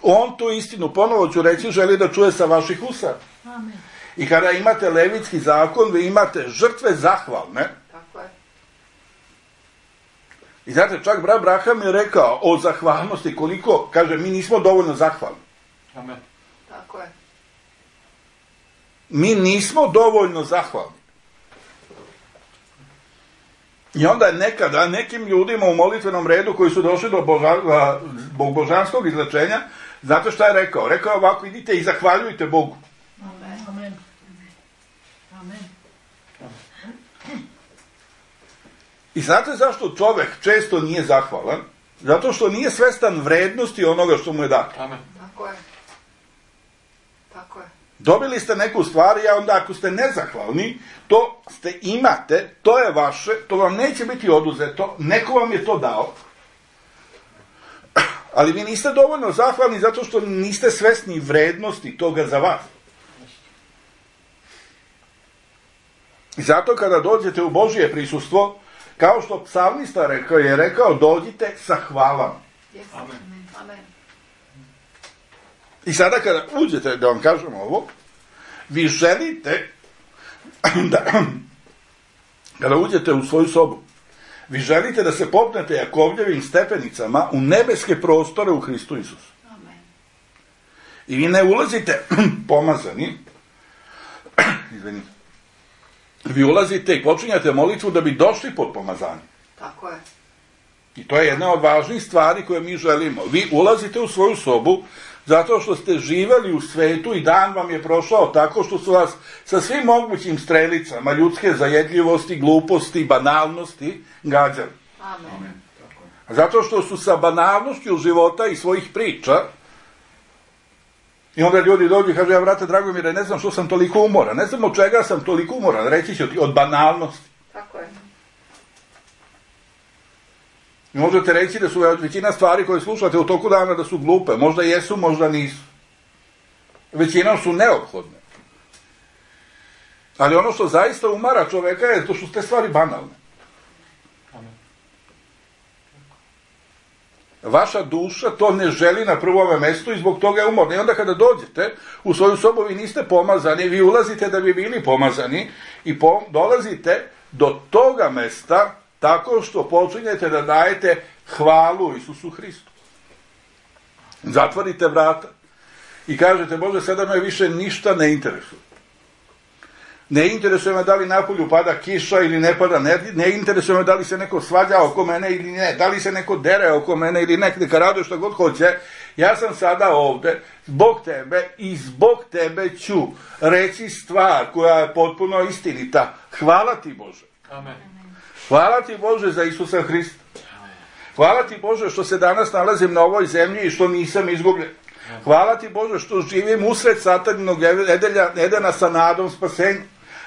On tu istinu, ponovo ću reći, želi da čuje sa vaših usana. Amen. I kada imate levitski zakon, vi imate žrtve zahvalne. Tako je. I znate, čak brat Braham je rekao o zahvalnosti koliko, kaže, mi nismo dovoljno zahvalni. Amen. Tako je. Mi nismo dovoljno zahvalni. I onda je nekada nekim ljudima u molitvenom redu koji su došli do boža, zbog božanskog izlečenja, znate šta je rekao? Rekao je ovako, idite i zahvaljujte Bogu. Amen. Amen. Amen. I znate zašto čovjek često nije zahvalan? Zato što nije svestan vrednosti onoga što mu je dato. Amen. Tako je. Tako je. Dobili ste neku stvar i onda ako ste nezahvalni, to ste imate, to je vaše, to vam neće biti oduzeto, neko vam je to dao. Ali vi niste dovoljno zahvalni zato što niste svesni vrednosti toga za vas. I zato kada dođete u Božje prisustvo, Kao što psalmista rekao, je rekao, dođite sa hvalama. Yes. Amen. Amen. I sada kada uđete, da vam kažem ovo, vi želite da, kada uđete u svoju sobu, vi želite da se popnete Jakovljevim stepenicama u nebeske prostore u Hristu Isusu. Amen. I vi ne ulazite pomazani, izvinite, vi ulazite i počinjate molitvu da bi došli pod pomazanje. Tako je. I to je jedna od važnih stvari koje mi želimo. Vi ulazite u svoju sobu zato što ste živeli u svetu i dan vam je prošao tako što su vas sa svim mogućim strelicama ljudske zajedljivosti, gluposti, banalnosti gađali. Amen. Zato što su sa banalnošću života i svojih priča, i onda ljudi dođu i kažu, ja brate Dragomire, ne znam što sam toliko umoran, ne znam od čega sam toliko umoran, reći ću ti, od banalnosti. Tako je. I možete reći da su većina stvari koje slušate u toku dana da su glupe, možda jesu, možda nisu. Većinom su neophodne. Ali ono što zaista umara čoveka je to što su te stvari banalne. Vaša duša to ne želi na prvome mestu i zbog toga je umorna. I onda kada dođete u svoju sobu, vi niste pomazani, vi ulazite da bi bili pomazani i pom- dolazite do toga mesta tako što počinjete da dajete hvalu Isusu Hristu. Zatvorite vrata i kažete, Bože, sada me više ništa ne interesuje. Ne interesuje me da li napolju pada kiša ili ne pada, ne, ne interesuje me da li se neko svađa oko mene ili ne, da li se neko dere oko mene ili ne, neka raduje što god hoće. Ja sam sada ovde zbog tebe i zbog tebe ću reći stvar koja je potpuno istinita. Hvala ti, Bože. Amen. Hvala ti, Bože, za Isusa Hrista. Hvala ti, Bože, što se danas nalazim na ovoj zemlji i što nisam izgubljen. Hvala ti, Bože, što živim usred sataninog Edelja, Edena sa nadom spasenja.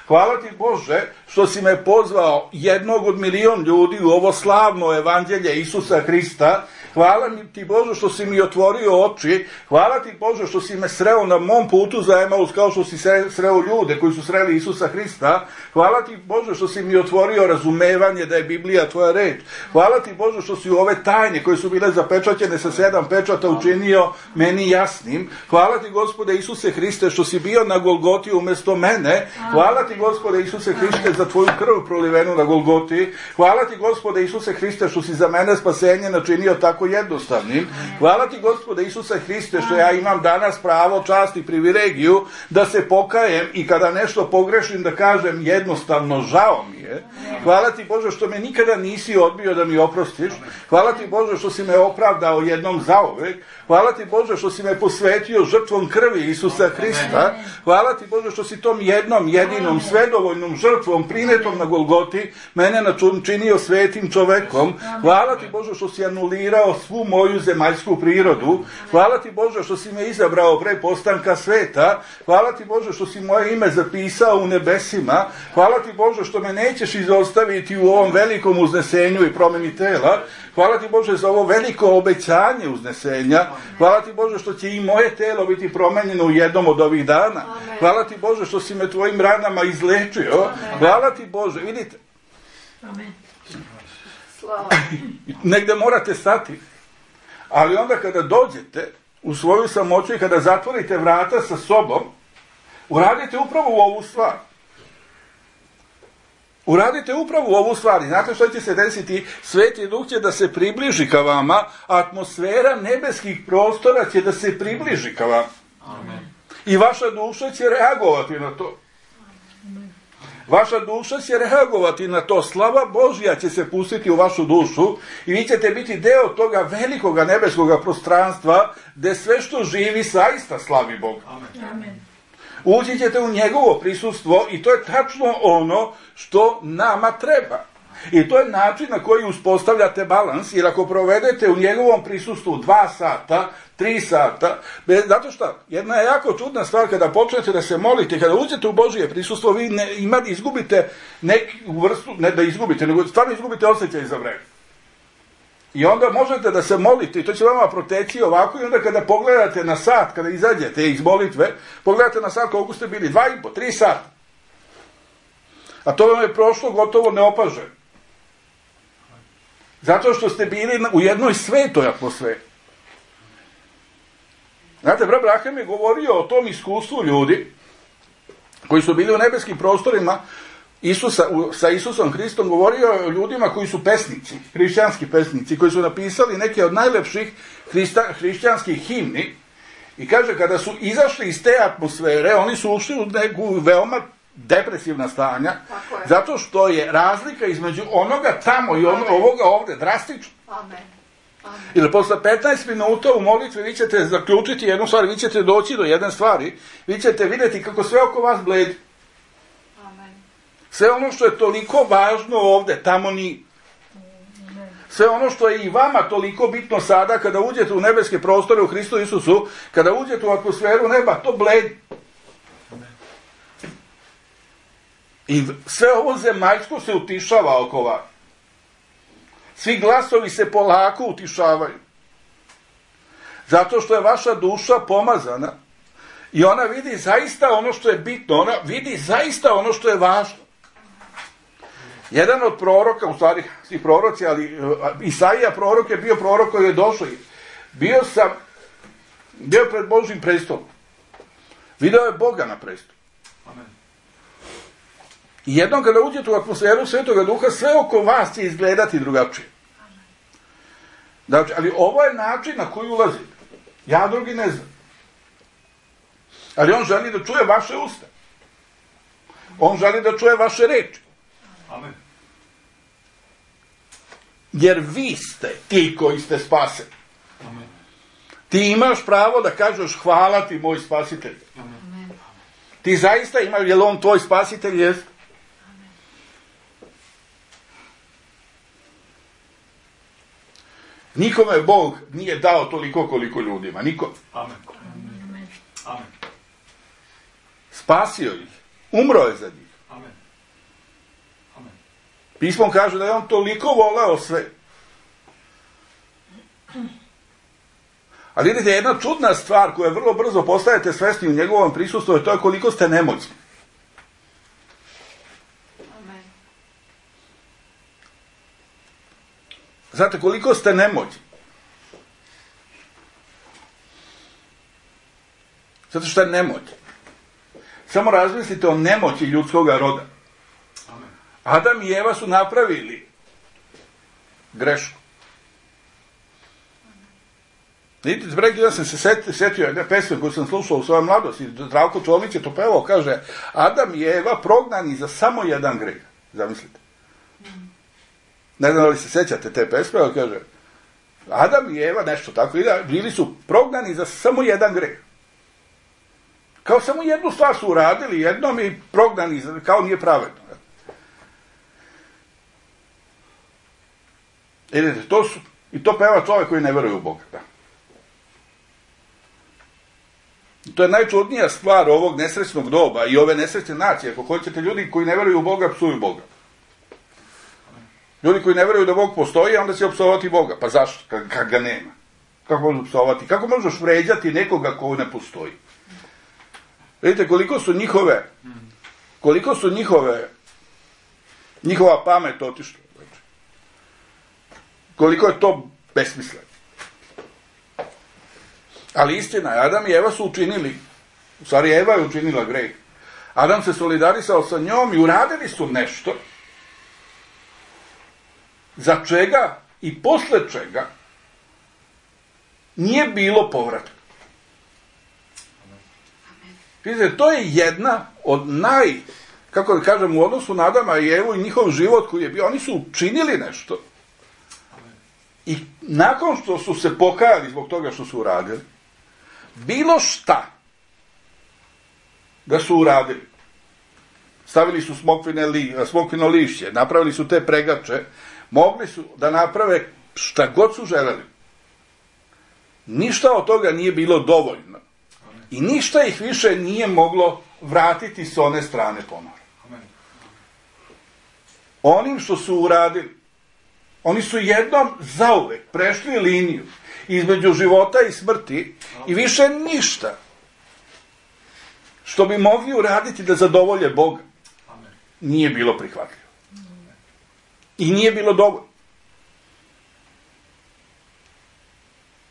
Hvala ti, Bože, što si me pozvao jednog od milion ljudi u ovo slavno evanđelje Isusa Hrista. Hvala ti, Bože, što si mi otvorio oči. Hvala ti, Bože, što si me sreo na mom putu za Emaus kao što si sreo ljude koji su sreli Isusa Hrista. Hvala ti, Bože, što si mi otvorio razumevanje da je Biblija tvoja reč. Hvala ti, Bože, što si u ove tajne koje su bile zapečaćene sa sedam pečata učinio meni jasnim. Hvala ti, Gospode Isuse Hriste, što si bio na Golgoti umjesto mene. Hvala ti, Gospode Isuse Hriste, za tvoju krv prolivenu na Golgoti. Hvala ti, Gospode Isuse Hriste, što si za mene spasenje načinio tako jednostavnim. Hvala ti, Gospode Isuse Hriste, što ja imam danas pravo, čast i privilegiju da se pokajem i kada nešto pogrešim da kažem jednostavno žao mi je. Hvala ti, Bože, što me nikada nisi odbio da mi oprostiš. Hvala ti, Bože, što si me opravdao jednom zauvek. Hvala ti, Bože, što si me posvetio žrtvom krvi Isusa Hrista. Hvala ti, Bože, što si tom jednom, jedinom, svedovoljnom žrtvom prinetom na Golgoti mene načinio svetim čovekom. Hvala ti, Bože, što si anulirao svu moju zemaljsku prirodu. Hvala ti, Bože, što si me izabrao pre postanka sveta. Hvala ti, Bože, što si moje ime zapisao u nebesima. Hvala ti, Bože, što me nećeš izostaviti u ovom velikom uznesenju i promeni tela. Hvala ti, Bože, za ovo veliko obećanje uznesenja. Hvala ti, Bože, što će i moje telo biti promenjeno u jednom od ovih dana. Hvala ti, Bože, što si me tvojim ranama izlečio. Hvala ti, Bože, vidite. Amen. Slava. Negde morate stati. Ali onda kada dođete u svoju samoću i kada zatvorite vrata sa sobom, uradite upravo u ovu stvar. Uradite upravo u ovu stvar. Znate što će se desiti? Sveti Duh će da se približi ka vama, a atmosfera nebeskih prostora će da se približi ka vama. Amen. I vaša duša će reagovati na to. Vaša duša će reagovati na to. Slava Božja će se pustiti u vašu dušu i vi ćete biti deo toga velikoga nebeskoga prostranstva gde sve što živi zaista slavi Boga. Amen. Ući ćete u njegovo prisustvo i to je tačno ono što nama treba. I to je način na koji uspostavljate balans, jer ako provedete u njegovom prisustvu dva sata, tri sata, zato što jedna je jako čudna stvar kada počnete da se molite, kada uđete u Božije prisustvo, vi ne, imate, izgubite neku vrstu, ne da izgubite, nego stvarno izgubite osjećaj za vreme. I onda možete da se molite i to će vama proteći ovako i onda kada pogledate na sat, kada izađete iz molitve, pogledate na sat koliko ste bili, dva i po, tri sata. A to vam je prošlo gotovo neopaženo. Zato što ste bili u jednoj svetoj atmosferi. Znate, brat Braham je govorio o tom iskustvu ljudi koji su bili u nebeskim prostorima Isusa, sa Isusom Hristom, govorio o ljudima koji su pesnici, hrišćanski pesnici, koji su napisali neke od najlepših hrista, hrišćanskih himni. I kaže, kada su izašli iz te atmosfere, oni su ušli u neku veoma depresivna stanja, zato što je razlika između onoga tamo i ono, ovoga ovde drastična. Amen. Amen. Ili posle petnaest minuta u molitvi vi ćete zaključiti jednu stvar, vi ćete doći do jedne stvari, vi ćete vidjeti kako sve oko vas bledi. Amen. Sve ono što je toliko važno ovde, tamo nije. Sve ono što je i vama toliko bitno sada, kada uđete u nebeske prostore u Hristu Isusu, kada uđete u atmosferu neba, to bledi. I sve ovo zemaljsko se utišava oko vas. Svi glasovi se polako utišavaju. Zato što je vaša duša pomazana i ona vidi zaista ono što je bitno, ona vidi zaista ono što je važno. Jedan od proroka, u stvari svi proroci, ali Isaija prorok je bio prorok koji je došao. Bio sam, bio pred Božjim prestolom. Video je Boga na prestolu. Amen. I jednom kada uđete u atmosferu Svetoga Duha, sve oko vas će izgledati drugačije. Znači, ali ovo je način na koji ulazite. Ja drugi ne znam. Ali on želi da čuje vaše usta. On želi da čuje vaše reči. Amen. Jer vi ste ti koji ste spaseni. Amen. Ti imaš pravo da kažeš hvala ti moj spasitelj. Amen. Ti zaista imaš, je li on tvoj spasitelj? Jest? Nikome Bog nije dao toliko koliko ljudima. Nikome. Amen. Amen. Amen. Spasio ih. Umro je za njih. Amen. Amen. Pismo kaže da je on toliko voleo sve. Ali vidite, jedna čudna stvar koju vrlo brzo postajete svesni u njegovom prisustvu je to je koliko ste nemoćni. Amen. Znate, koliko ste nemoćni. Zato što je nemoć. Samo razmislite o nemoći ljudskog roda. Amen. Adam i Eva su napravili grešku. Vidite, preki ja sam se setio, setio jedne pesme koju sam slušao u svojoj mladosti. Zdravko Čović je to pevao, kaže, Adam i Eva prognani za samo jedan greh. Zamislite. Ne znam da li se sećate te pesme, ali kaže, Adam i Eva, nešto tako, bili su prognani za samo jedan greh. Kao samo jednu stvar su uradili, jednom i prognani, kao nije pravedno. Vidite, to su, i to peva čovjek koji ne veruje u Boga. Da. I to je najčudnija stvar ovog nesrećnog doba i ove nesrećne nacije. Ako hoćete, ljudi koji ne veruju u Boga, psuju Boga. Ljudi koji ne veruju da Bog postoji, onda će opsovati Boga. Pa zašto? Kad, kad ga nema. Kako možeš opsovati? Kako možeš vređati nekoga ko ne postoji? Vidite, koliko su njihove, koliko su njihove, njihova pamet otišla. Koliko je to besmisleno. Ali istina je, Adam i Eva su učinili, u stvari Eva je učinila greh. Adam se solidarisao sa njom i uradili su nešto za čega i posle čega nije bilo povratka. Vidite, to je jedna od naj, kako da kažem, u odnosu na Adama i Evu i njihov život koji je bio, oni su učinili nešto. I nakon što su se pokajali zbog toga što su uradili, bilo šta da su uradili, stavili su smokvine li, smokvino lišće, napravili su te pregače, mogli su da naprave šta god su želeli. Ništa od toga nije bilo dovoljno. I ništa ih više nije moglo vratiti s one strane ponovo. Onim što su uradili, oni su jednom zauvek prešli liniju između života i smrti i više ništa što bi mogli uraditi da zadovolje Boga nije bilo prihvatljivo. I nije bilo dovoljno.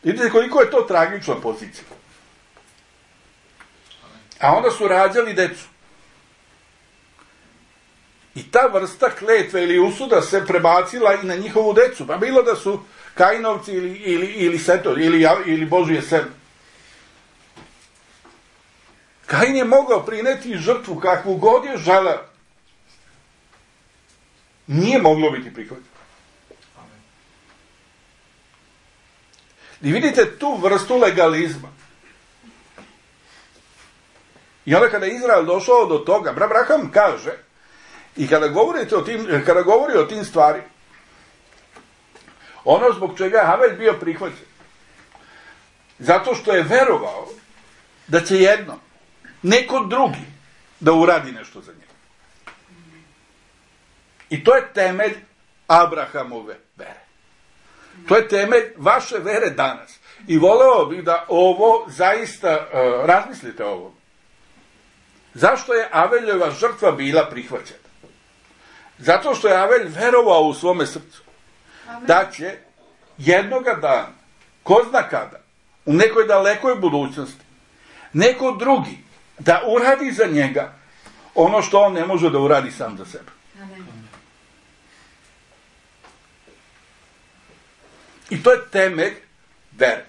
Vidite koliko je to tragična pozicija. A onda su rađali decu. I ta vrsta kletve ili usuda se prebacila i na njihovu decu. Pa bilo da su Kainovci ili, ili, ili Setovi, ili, ili Božije seme. Kain je mogao prineti žrtvu kakvu god je želeo. Nije moglo biti prihvaćeno. I vidite tu vrstu legalizma. I onda kada je Izrael došao do toga, Abraham kaže, i kada govorite o tim, kada govori o tim stvari, ono zbog čega je Havel bio prihvaćen, zato što je verovao da će jedno, neko drugi, da uradi nešto za njega. I to je temelj Abrahamove vere. To je temelj vaše vere danas. I voleo bih da ovo zaista uh, razmislite o ovom. Zašto je Aveljeva žrtva bila prihvaćena? Zato što je Avelj verovao u svome srcu. Amen. Da će jednoga dana, ko zna kada, u nekoj dalekoj budućnosti, neko drugi da uradi za njega ono što on ne može da uradi sam za sebe. Amen. I to je temelj vere.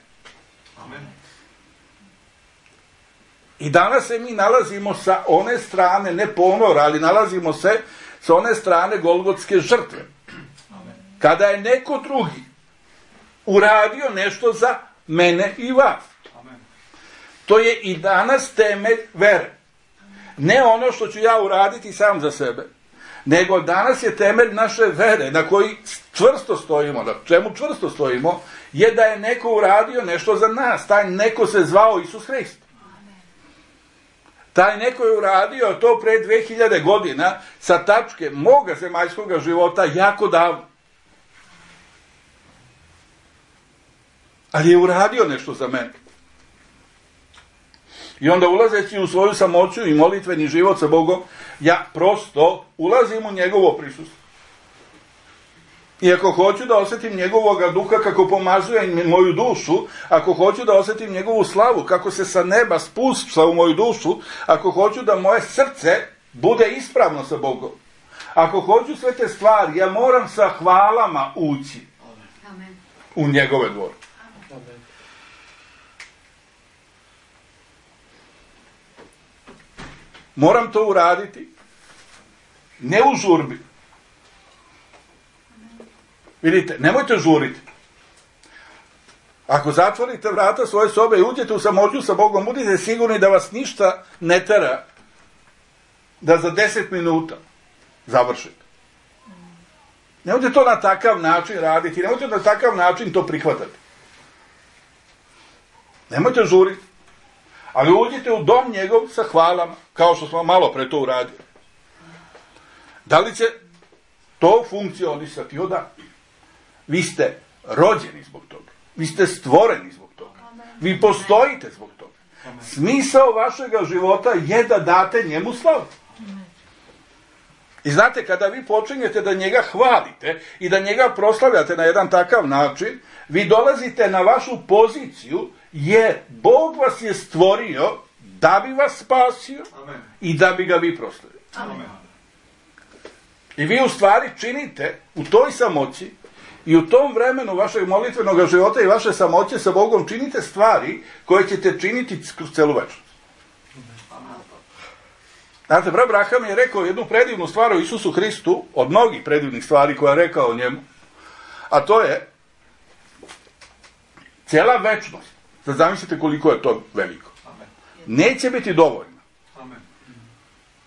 Amen. I danas se mi nalazimo sa one strane, ne ponora, ali nalazimo se sa one strane Golgotske žrtve. Amen. Kada je neko drugi uradio nešto za mene i vas. Amen. To je i danas temelj vere. Ne ono što ću ja uraditi sam za sebe, nego danas je temelj naše vere na koji čvrsto stojimo, na čemu čvrsto stojimo, je da je neko uradio nešto za nas. Taj neko se zvao Isus Hrist. Taj neko je uradio to pre dve hiljade godina sa tačke moga zemaljskoga života jako davno. Ali je uradio nešto za mene. I onda ulazeći u svoju samoću i molitveni život sa Bogom, ja prosto ulazim u njegovo prisustvo. I ako hoću da osjetim njegovoga duha kako pomazuje moju dušu, ako hoću da osjetim njegovu slavu kako se sa neba spušta u moju dušu, ako hoću da moje srce bude ispravno sa Bogom, ako hoću sve te stvari, ja moram sa hvalama ući Amen. U njegove dvore. Amen. Moram to uraditi ne u žurbi. Vidite, nemojte žuriti. Ako zatvorite vrata svoje sobe i uđete u samoću sa Bogom, budite sigurni da vas ništa ne tera da za deset minuta završite. Nemojte to na takav način raditi, nemojte na takav način to prihvatati. Nemojte žuriti. Ali uđite u dom njegov sa hvalama, kao što smo malo pre to uradili. Da li će to funkcionisati? O da. Vi ste rođeni zbog toga. Vi ste stvoreni zbog toga. Vi postojite zbog toga. Smisao vašega života je da date njemu slavu. I znate, kada vi počinjete da njega hvalite i da njega proslavljate na jedan takav način, vi dolazite na vašu poziciju, jer Bog vas je stvorio da bi vas spasio Amen. I da bi ga vi proslavili. Amen. I vi u stvari činite u toj samoći i u tom vremenu vašeg molitvenog života i vaše samoće sa Bogom činite stvari koje ćete činiti kroz celu večnost. Znate, brat Abraham je rekao jednu predivnu stvar o Isusu Hristu, od mnogih predivnih stvari koje je rekao o njemu, a to je cijela večnost. Sad zamislite koliko je to veliko. Neće biti dovoljno.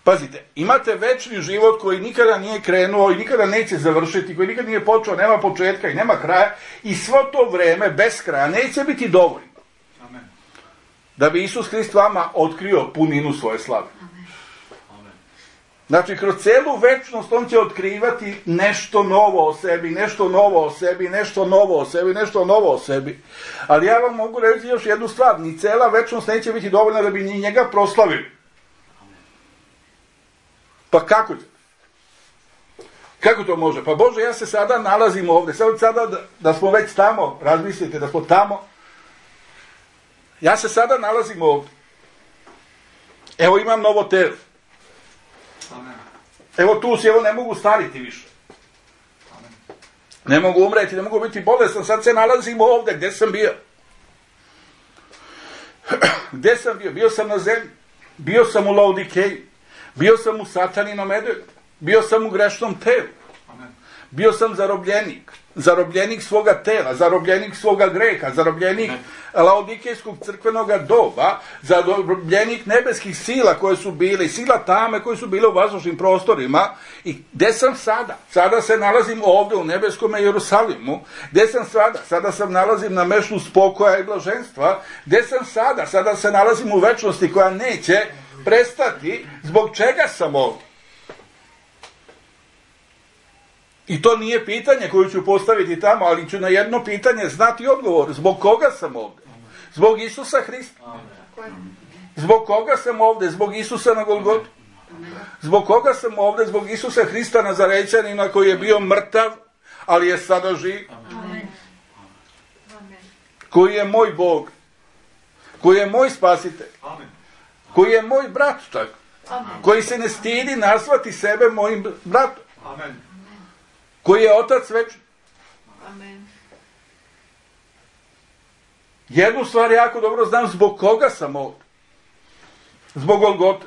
Pazite, imate večni život koji nikada nije krenuo i nikada neće završiti, koji nikada nije počeo, nema početka i nema kraja, i svo to vreme bez kraja neće biti dovoljno. Amen. Da bi Isus Hrist vama otkrio puninu svoje slave. Amen. Znači, kroz celu večnost on će otkrivati nešto novo o sebi, nešto novo o sebi, nešto novo o sebi, nešto novo o sebi. Ali ja vam mogu reći još jednu stvar, ni cela večnost neće biti dovoljna da bi ni njega proslavili. Pa kako će? Kako to može? Pa Bože, ja se sada nalazim ovdje. Sad sada da, da smo već tamo, razmislite da smo tamo, Ja se sada nalazim ovdje. Evo imam novo telo. Amen. Evo tu si, evo ne mogu stariti više. Amen. Ne mogu umreti, ne mogu biti bolestan, sad se nalazim ovdje. Gdje sam bio? Gdje sam bio? Bio sam na zemlji. Bio sam u Laodikeji. Bio sam u sataninom Edenu. Bio sam u grešnom telu. Amen. Bio sam zarobljenik. Zarobljenik svoga tela, zarobljenik svoga greha, zarobljenik laodikejskog crkvenog doba, zarobljenik nebeskih sila koje su bile, sila tame koje su bile u vazdušnim prostorima. I gdje sam sada? Sada se nalazim ovdje u nebeskom Jerusalimu. Gdje sam sada? Sada sam nalazim na mestu spokoja i blaženstva. Gdje sam sada? Sada se nalazim u večnosti koja neće prestati. Zbog čega sam ovdje? I to nije pitanje koje ću postaviti tamo, ali ću na jedno pitanje znati odgovor. Zbog koga sam ovdje? Zbog Isusa Hrista. Zbog koga sam ovdje? Zbog Isusa na Golgotu. Zbog koga sam ovdje? Zbog Isusa Hrista Nazarećanina koji je bio mrtav, ali je sada živ. Koji je moj Bog. Koji je moj spasitelj. Koji je moj brat, tako. Koji se ne stidi nazvati sebe mojim bratom. Amen. Koji je Otac večni. Amen. Jednu stvar jako dobro znam, zbog koga sam ovdje. Zbog Golgote.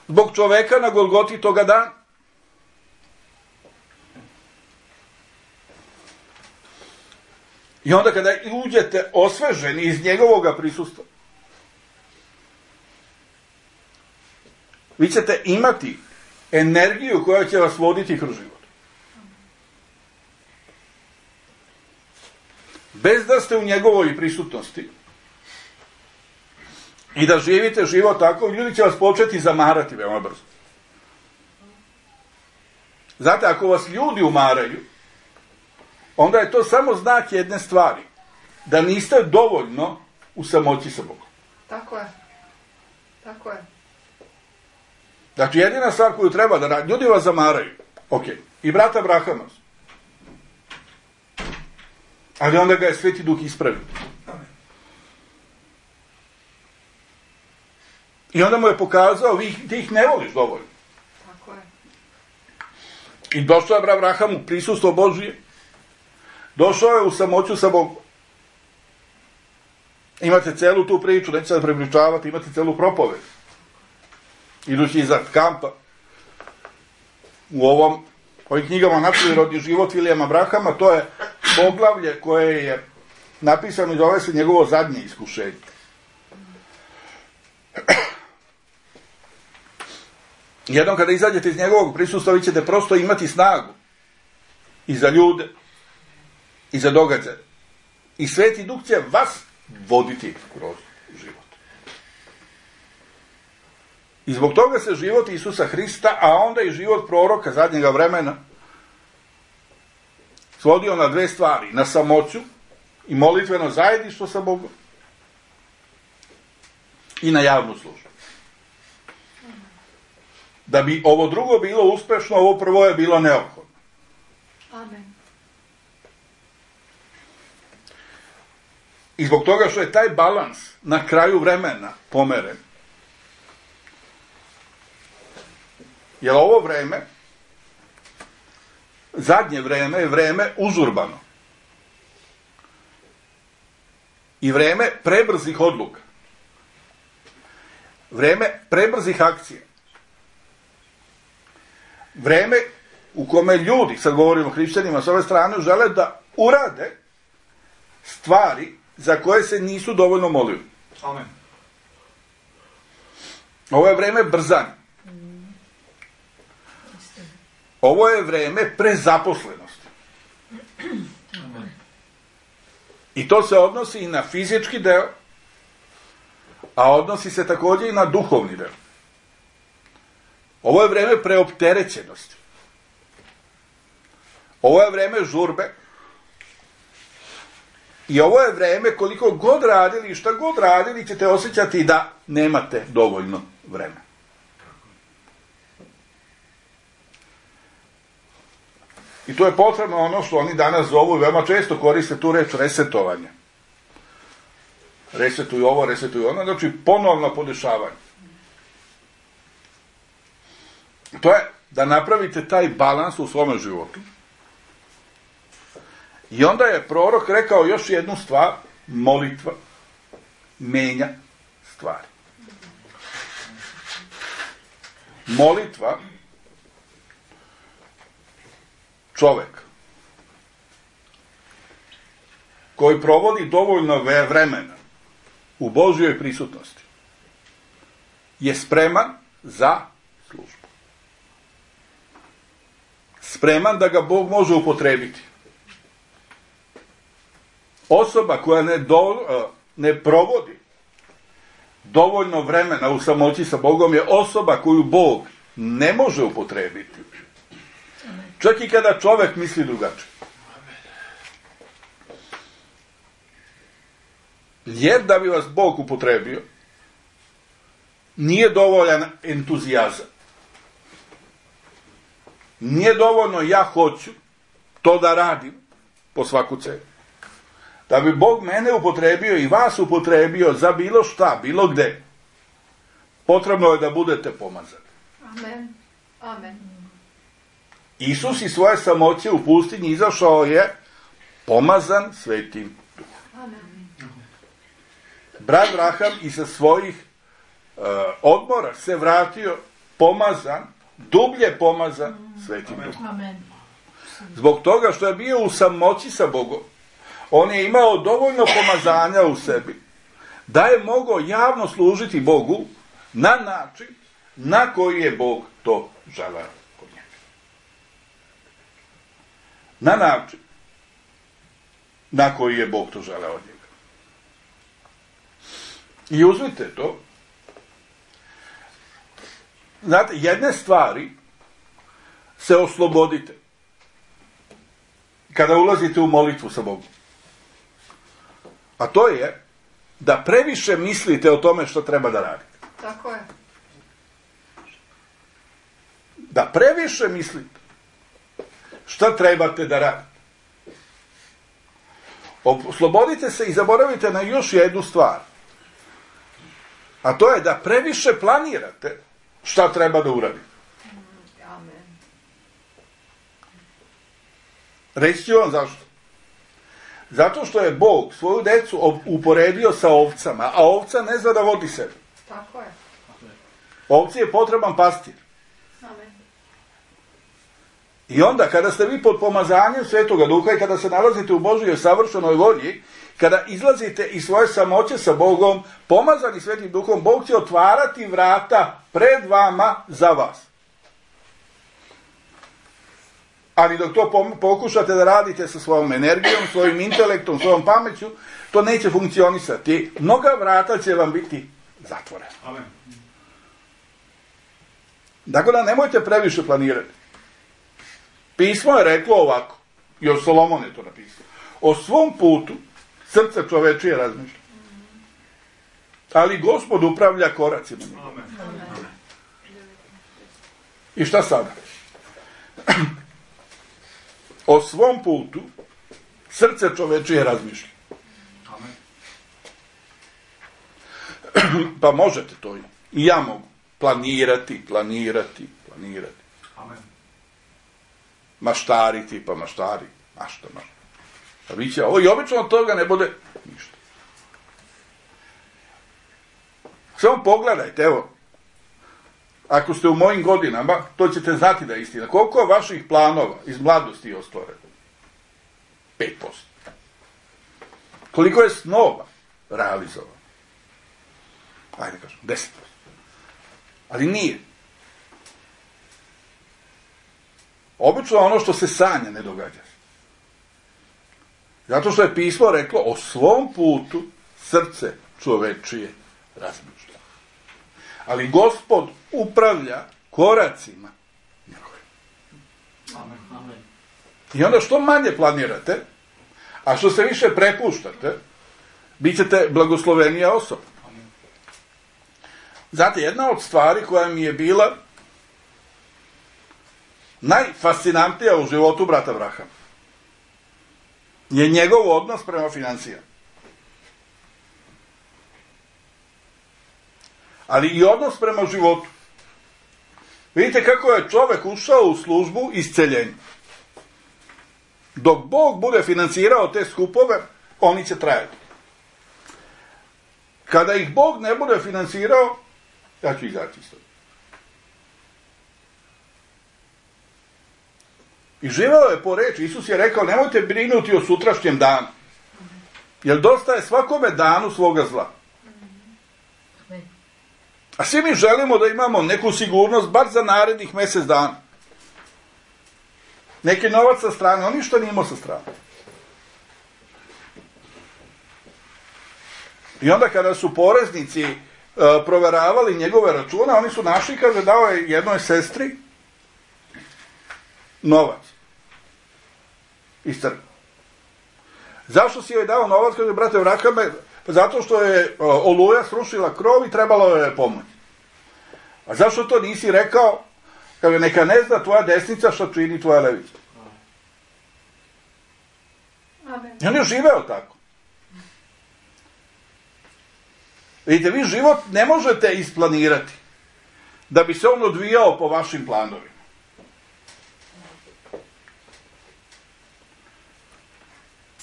Zbog čoveka na Golgoti toga dana. I onda kada uđete osveženi iz njegovoga prisustva, vi ćete imati energiju koja će vas voditi kroz život. Bez da ste u njegovoj prisutnosti i da živite život tako, ljudi će vas početi zamarati veoma brzo. Znate, ako vas ljudi umaraju, onda je to samo znak jedne stvari. Da niste dovoljno u samoći sa Bogom. Tako je. Tako je. Znači, jedina stvar koju treba da radi, ljudi vas zamaraju. Ok. I brata Abrahama. Ali onda ga je Sveti Duh ispravio. I onda mu je pokazao, vi, ti ih ne voliš dovoljno. Tako je. I došao je Abraham u prisustvo Božije. Došao je u samoću sa Bogom. Imate celu tu priču, neću sad prepričavati, imate celu propoved. Idući iza kampa. U ovom, ovim knjigama Nadprirodni život Vilijama Abrahama, to je poglavlje koje je napisano i zove se njegovo zadnje iskušenje. Jednom kada izađete iz njegovog prisustva, vi ćete prosto imati snagu i za ljude, i za događaje. I Sveti Duh će vas voditi kroz život. I zbog toga se život Isusa Hrista, a onda i život proroka zadnjega vremena, svodio na dve stvari. Na samoću i molitveno zajedništvo sa Bogom i na javnu službu. Da bi ovo drugo bilo uspešno, ovo prvo je bilo neophodno. Amen. I zbog toga što je taj balans na kraju vremena pomeren, jer ovo vreme, zadnje vreme je vreme užurbano. I vreme prebrzih odluka. Vreme prebrzih akcija. Vreme u kome ljudi, sad govorimo o hrišćanima s ove strane, žele da urade stvari za koje se nisu dovoljno molili. Amen. Ovo je vreme brzanja. Ovo je vreme prezaposlenosti. I to se odnosi i na fizički deo, a odnosi se također i na duhovni deo. Ovo je vreme preopterećenosti. Ovo je vreme žurbe. I ovo je vreme koliko god radili i šta god radili ćete osjećati da nemate dovoljno vremena. I to je potrebno ono što oni danas zovu i veoma često koriste tu reč resetovanje. resetuju ovo, resetuju ono, znači ponovno podešavanje. To je da napravite taj balans u svome životu. I onda je prorok rekao još jednu stvar, molitva menja stvari. Molitva, čovjek koji provodi dovoljno vremena u Božjoj prisutnosti je spreman za službu. Spreman da ga Bog može upotrebiti. Osoba koja ne, do, ne provodi dovoljno vremena u samoći sa Bogom je osoba koju Bog ne može upotrebiti. Čak i kada čovjek misli drugačije. Jer da bi vas Bog upotrebio, nije dovoljan entuzijazam. Nije dovoljno ja hoću to da radim po svaku cenu. Da bi Bog mene upotrebio i vas upotrebio za bilo šta, bilo gde, potrebno je da budete pomazani. Amen. Amen. Isus iz svoje samoće u pustinji izašao je pomazan Svetim Duhom. Amen. Brat Raham i sa svojih uh, odmora se vratio pomazan, dublje pomazan Svetim Duhom. Amen. Zbog toga što je bio u samoći sa Bogom, on je imao dovoljno pomazanja u sebi da je mogao javno služiti Bogu na način na koji je Bog to želeo kod njega. Na način na koji je Bog to želeo od njega. I uzmite to. Znate, jedne stvari se oslobodite kada ulazite u molitvu sa Bogom. A to je da previše mislite o tome što treba da radite. Tako je. Da previše mislite šta trebate da radite. Oslobodite se i zaboravite na još jednu stvar. A to je da previše planirate šta treba da uradite. Amen. Reći ću vam zašto. Zato što je Bog svoju decu uporedio sa ovcama, a ovca ne zna da vodi sebe. Tako je. Ovci je potreban pastir. Amen. I onda kada ste vi pod pomazanjem Svetoga Duha i kada se nalazite u Božjoj savršenoj volji, kada izlazite iz svoje samoće sa Bogom, pomazani Svetim Duhom, Bog će otvarati vrata pred vama za vas. Ali dok to pokušate da radite sa svojom energijom, svojim intelektom, svojom pameću, to neće funkcionisati. Mnoga vrata će vam biti zatvorena. Amen. Dakle, da nemojte previše planirati. Pismo je reklo ovako, još Solomon je to napisao. O svom putu srce čovečije razmišlja. Ali Gospod upravlja koracima. Amen. Amen. I šta sada? O svom putu srce čovečije razmišlja. Amen. Pa možete to i. I ja mogu. Planirati, planirati, planirati. Amen. Maštariti, pa maštari. Mašta, mašta. Pa vi će ovo i obično od toga ne bude ništa. Samo pogledajte, evo. Ako ste u mojim godinama, to ćete znati da je istina. Koliko je vaših planova iz mladosti je ostvareno? pet posto. Koliko je snova realizovano? Ajde kažem, deset posto. Ali nije. Obično ono što se sanja ne događa se. Zato što je pismo reklo o svom putu srce čovečije razmišlja. Ali Gospod upravlja koracima njegovim. Amen. Amen. I onda što manje planirate, a što se više prepuštate, bit ćete blagoslovenija osoba. Amen. Znate, jedna od stvari koja mi je bila najfascinantnija u životu brata Brahama je njegov odnos prema financijama. ali i odnos prema životu. Vidite kako je čovjek ušao u službu isceljenja. Dok Bog bude financirao te skupove, oni će trajati. Kada ih Bog ne bude financirao, ja ću izaći iz toga. I živeo je po reči. Isus je rekao, nemojte brinuti o sutrašnjem danu. Jer dosta je svakome danu svoga zla. A svi mi želimo da imamo neku sigurnost, bar za narednih mjesec dana. Neki novac sa strane, on ništa nije imao sa strane. I onda kada su poreznici uh, proveravali njegove račune, oni su našli, kaže, dao je jednoj sestri novac iz crkve. Zašto si joj dao novac? Kaže, brate, vraka me, zato što je uh, oluja srušila krov i trebalo je pomoć. A zašto to nisi rekao? Kaže, neka ne zna tvoja desnica što čini tvoja levica. Amen. I on je živeo tako. Vidite, vi život ne možete isplanirati da bi se on odvijao po vašim planovima.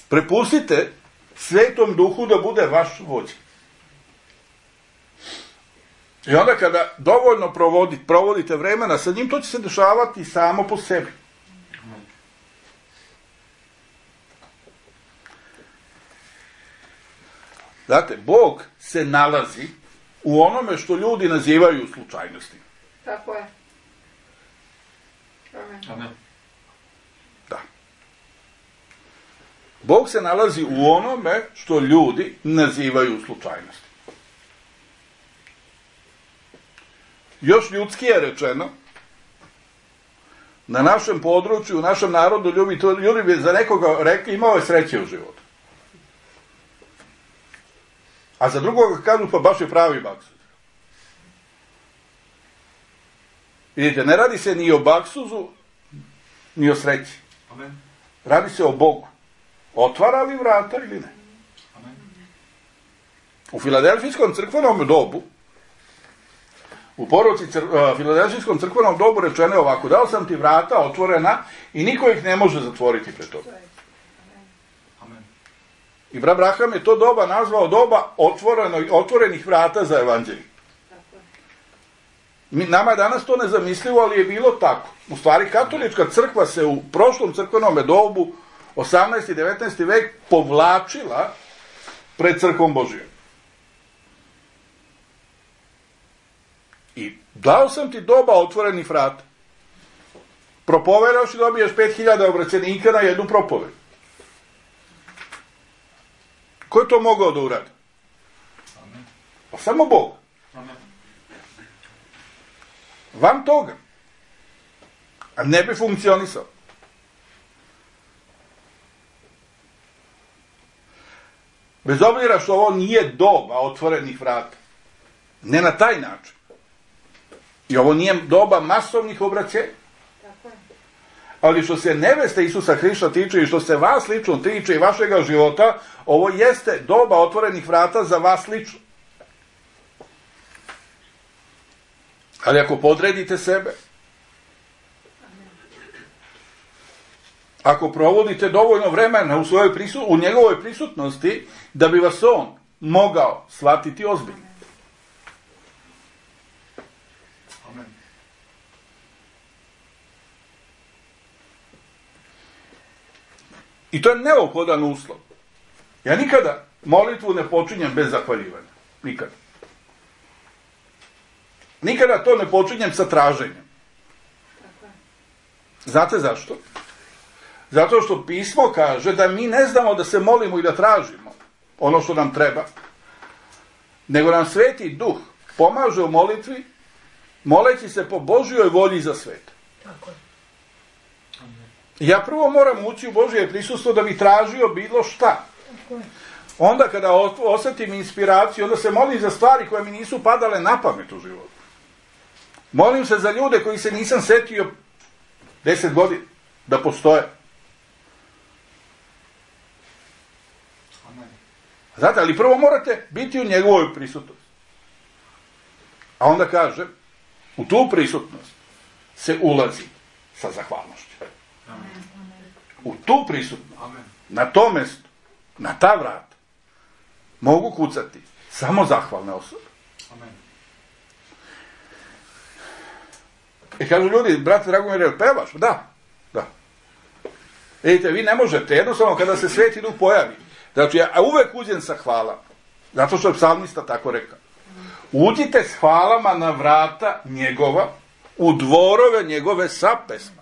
Prepustite Svetom Duhu da bude vaš vođa. I onda kada dovoljno provodite, provodite vremena sa njim, to će se dešavati samo po sebi. Znate, Bog se nalazi u onome što ljudi nazivaju slučajnosti. Tako je. Amen. Amen. Da. Bog se nalazi u onome što ljudi nazivaju slučajnosti. Još ljudski je rečeno, na našem području, u našem narodu, ljudi, to, ljudi bi za nekoga rekli, imao je sreće u životu. A za drugoga kažu, pa baš je pravi baksuz. Vidite, ne radi se ni o baksuzu, ni o sreći. Amen. Radi se o Bogu. Otvara li vrata ili ne? Amen. U Filadelfijskom crkvenom dobu, u poruci cr- uh, Filadelfijskom crkvenom dobu rečeno je ovako, dao sam ti vrata otvorena i niko ih ne može zatvoriti pred tobom. Amen. I brat Braham je to doba nazvao doba otvoreno, otvorenih vrata za evanđelje. Mi, nama je danas to nezamislivo, ali je bilo tako. U stvari, katolička crkva se u prošlom crkvenom dobu, osamnaesti i devetnaesti vek, povlačila pred crkvom Božijom. I dao sam ti doba otvorenih vrata. Propovedaš i dobiješ pet hiljada obraćenika na jednu propoved. Ko je to mogao da uradi? Amen. Pa samo Bog. Amen. Van toga. A ne bi funkcionisao. Bez obzira što ovo nije doba otvorenih vrata. Ne na taj način. I ovo nije doba masovnih obraćenja. Tako je. Ali što se neveste Isusa Hrista tiče i što se vas lično tiče i vašega života, ovo jeste doba otvorenih vrata za vas lično. Ali ako podredite sebe, ako provodite dovoljno vremena u, svojoj prisu, u njegovoj prisutnosti, da bi vas on mogao shvatiti ozbiljno. Amen. I to je neophodan uslov. Ja nikada molitvu ne počinjem bez zahvaljivanja. Nikada. Nikada to ne počinjem sa traženjem. Tako je. Znate zašto? Zato što pismo kaže da mi ne znamo da se molimo i da tražimo ono što nam treba, nego nam Sveti Duh pomaže u molitvi, moleći se po Božjoj volji za svet. Tako je. Ja prvo moram ući u Božje prisustvo da bi tražio bilo šta. Tako je. Onda kada osjetim inspiraciju, onda se molim za stvari koje mi nisu padale na pamet u životu. Molim se za ljude koji se nisam setio deset godina da postoje. Amen. Znate, ali prvo morate biti u njegovoj prisutnosti. A onda kaže, u tu prisutnost se ulazi sa zahvalnošću. U tu prisutnost, na to mjesto, na ta vrata, mogu kucati samo zahvalne osobe. I kažu ljudi, brate Dragomir, jel pevaš? Da, da. Vidite, vi ne možete, jednostavno kada se Sveti Duh pojavi, znači ja uvek uđem sa hvala, zato što je psalmista tako rekao. Uđite s hvalama na vrata njegova, u dvorove njegove sa pesma.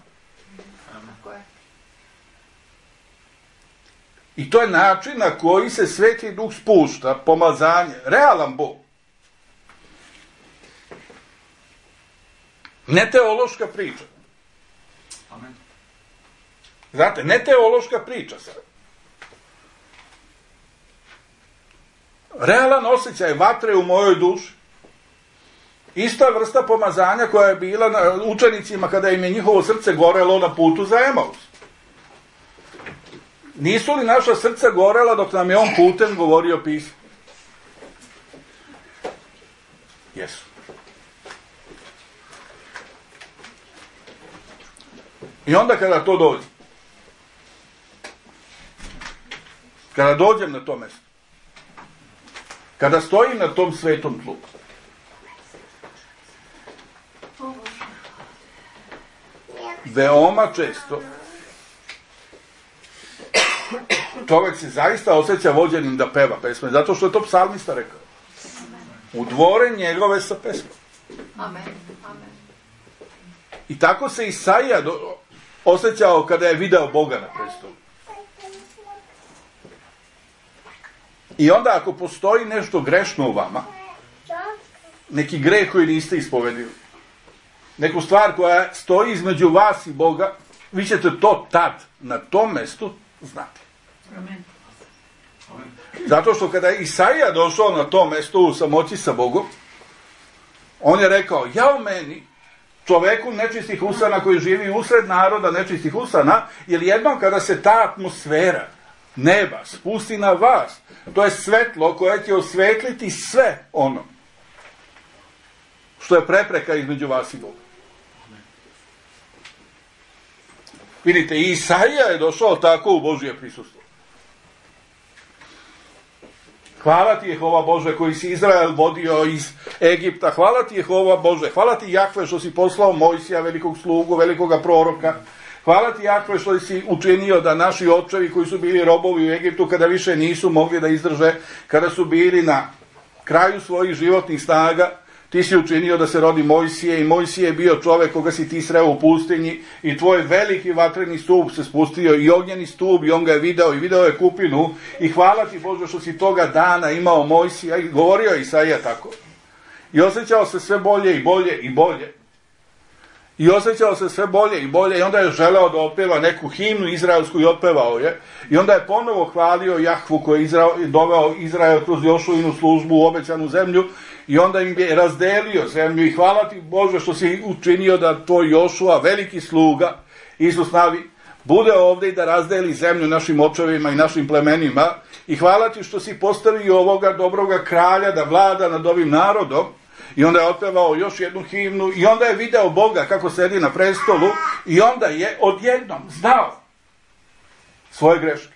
I to je način na koji se Sveti Duh spušta, pomazanje, realan Bog. Ne teološka priča. Amen. Znate, ne teološka priča sad. Realan osjećaj vatre u mojoj duši. Ista vrsta pomazanja koja je bila na učenicima kada im je njihovo srce gorelo na putu za Emaus. Nisu li naša srca gorela dok nam je on putem govorio pismo? Jesu. I onda kada to dođe, kada dođem na to mjesto, kada stojim na tom svetom tlu, veoma često čovjek se zaista osjeća vođenim da peva pesme, zato što je to psalmista rekao. U dvore njegove sa pesmom. Amen. Amen. I tako se Isaija do, osjećao kada je video Boga na prestolu. I onda ako postoji nešto grešno u vama, neki greh koji niste ispovedili, neku stvar koja stoji između vas i Boga, vi ćete to tad, na tom mjestu, znati. Amen. Zato što kada je Isaija došao na to mjesto u samoći sa Bogom, on je rekao, ja u meni, čoveku nečistih usana koji živi usred naroda nečistih usana, jer jednom kada se ta atmosfera neba spusti na vas, to je svetlo koje će osvetliti sve ono što je prepreka između vas i Boga. Vidite, i Isaija je došao tako u Božje prisustvo. Hvala ti Jehova Bože koji si Izrael vodio iz Egipta. Hvala ti Jehova Bože. Hvala ti Jahve što si poslao Mojsija, velikog slugu, velikoga proroka. Hvala ti Jahve što si učinio da naši očevi koji su bili robovi u Egiptu, kada više nisu mogli da izdrže, kada su bili na kraju svojih životnih snaga, ti si učinio da se rodi Mojsije i Mojsije je bio čovjek koga si ti sreo u pustinji i tvoj veliki vatreni stup se spustio i ognjeni stup i on ga je video i video je kupinu i hvala ti Bože što si toga dana imao Mojsija i govorio je Isaija tako. I osjećao se sve bolje i bolje i bolje. I osjećao se sve bolje i bolje i onda je želeo da otpeva neku himnu izraelsku i otpevao je. I onda je ponovo hvalio Jahvu koji je Izrael, doveo Izrael kroz Jošuinu službu u obećanu zemlju i onda im je razdelio zemlju i hvala ti Bože što si učinio da tvoj Jošua, veliki sluga, Isus navi, bude ovdje i da razdeli zemlju našim očevima i našim plemenima i hvala ti što si postavio ovoga dobroga kralja da vlada nad ovim narodom. I onda je otpevao još jednu himnu i onda je video Boga kako sedi na prestolu i onda je odjednom znao svoje greške.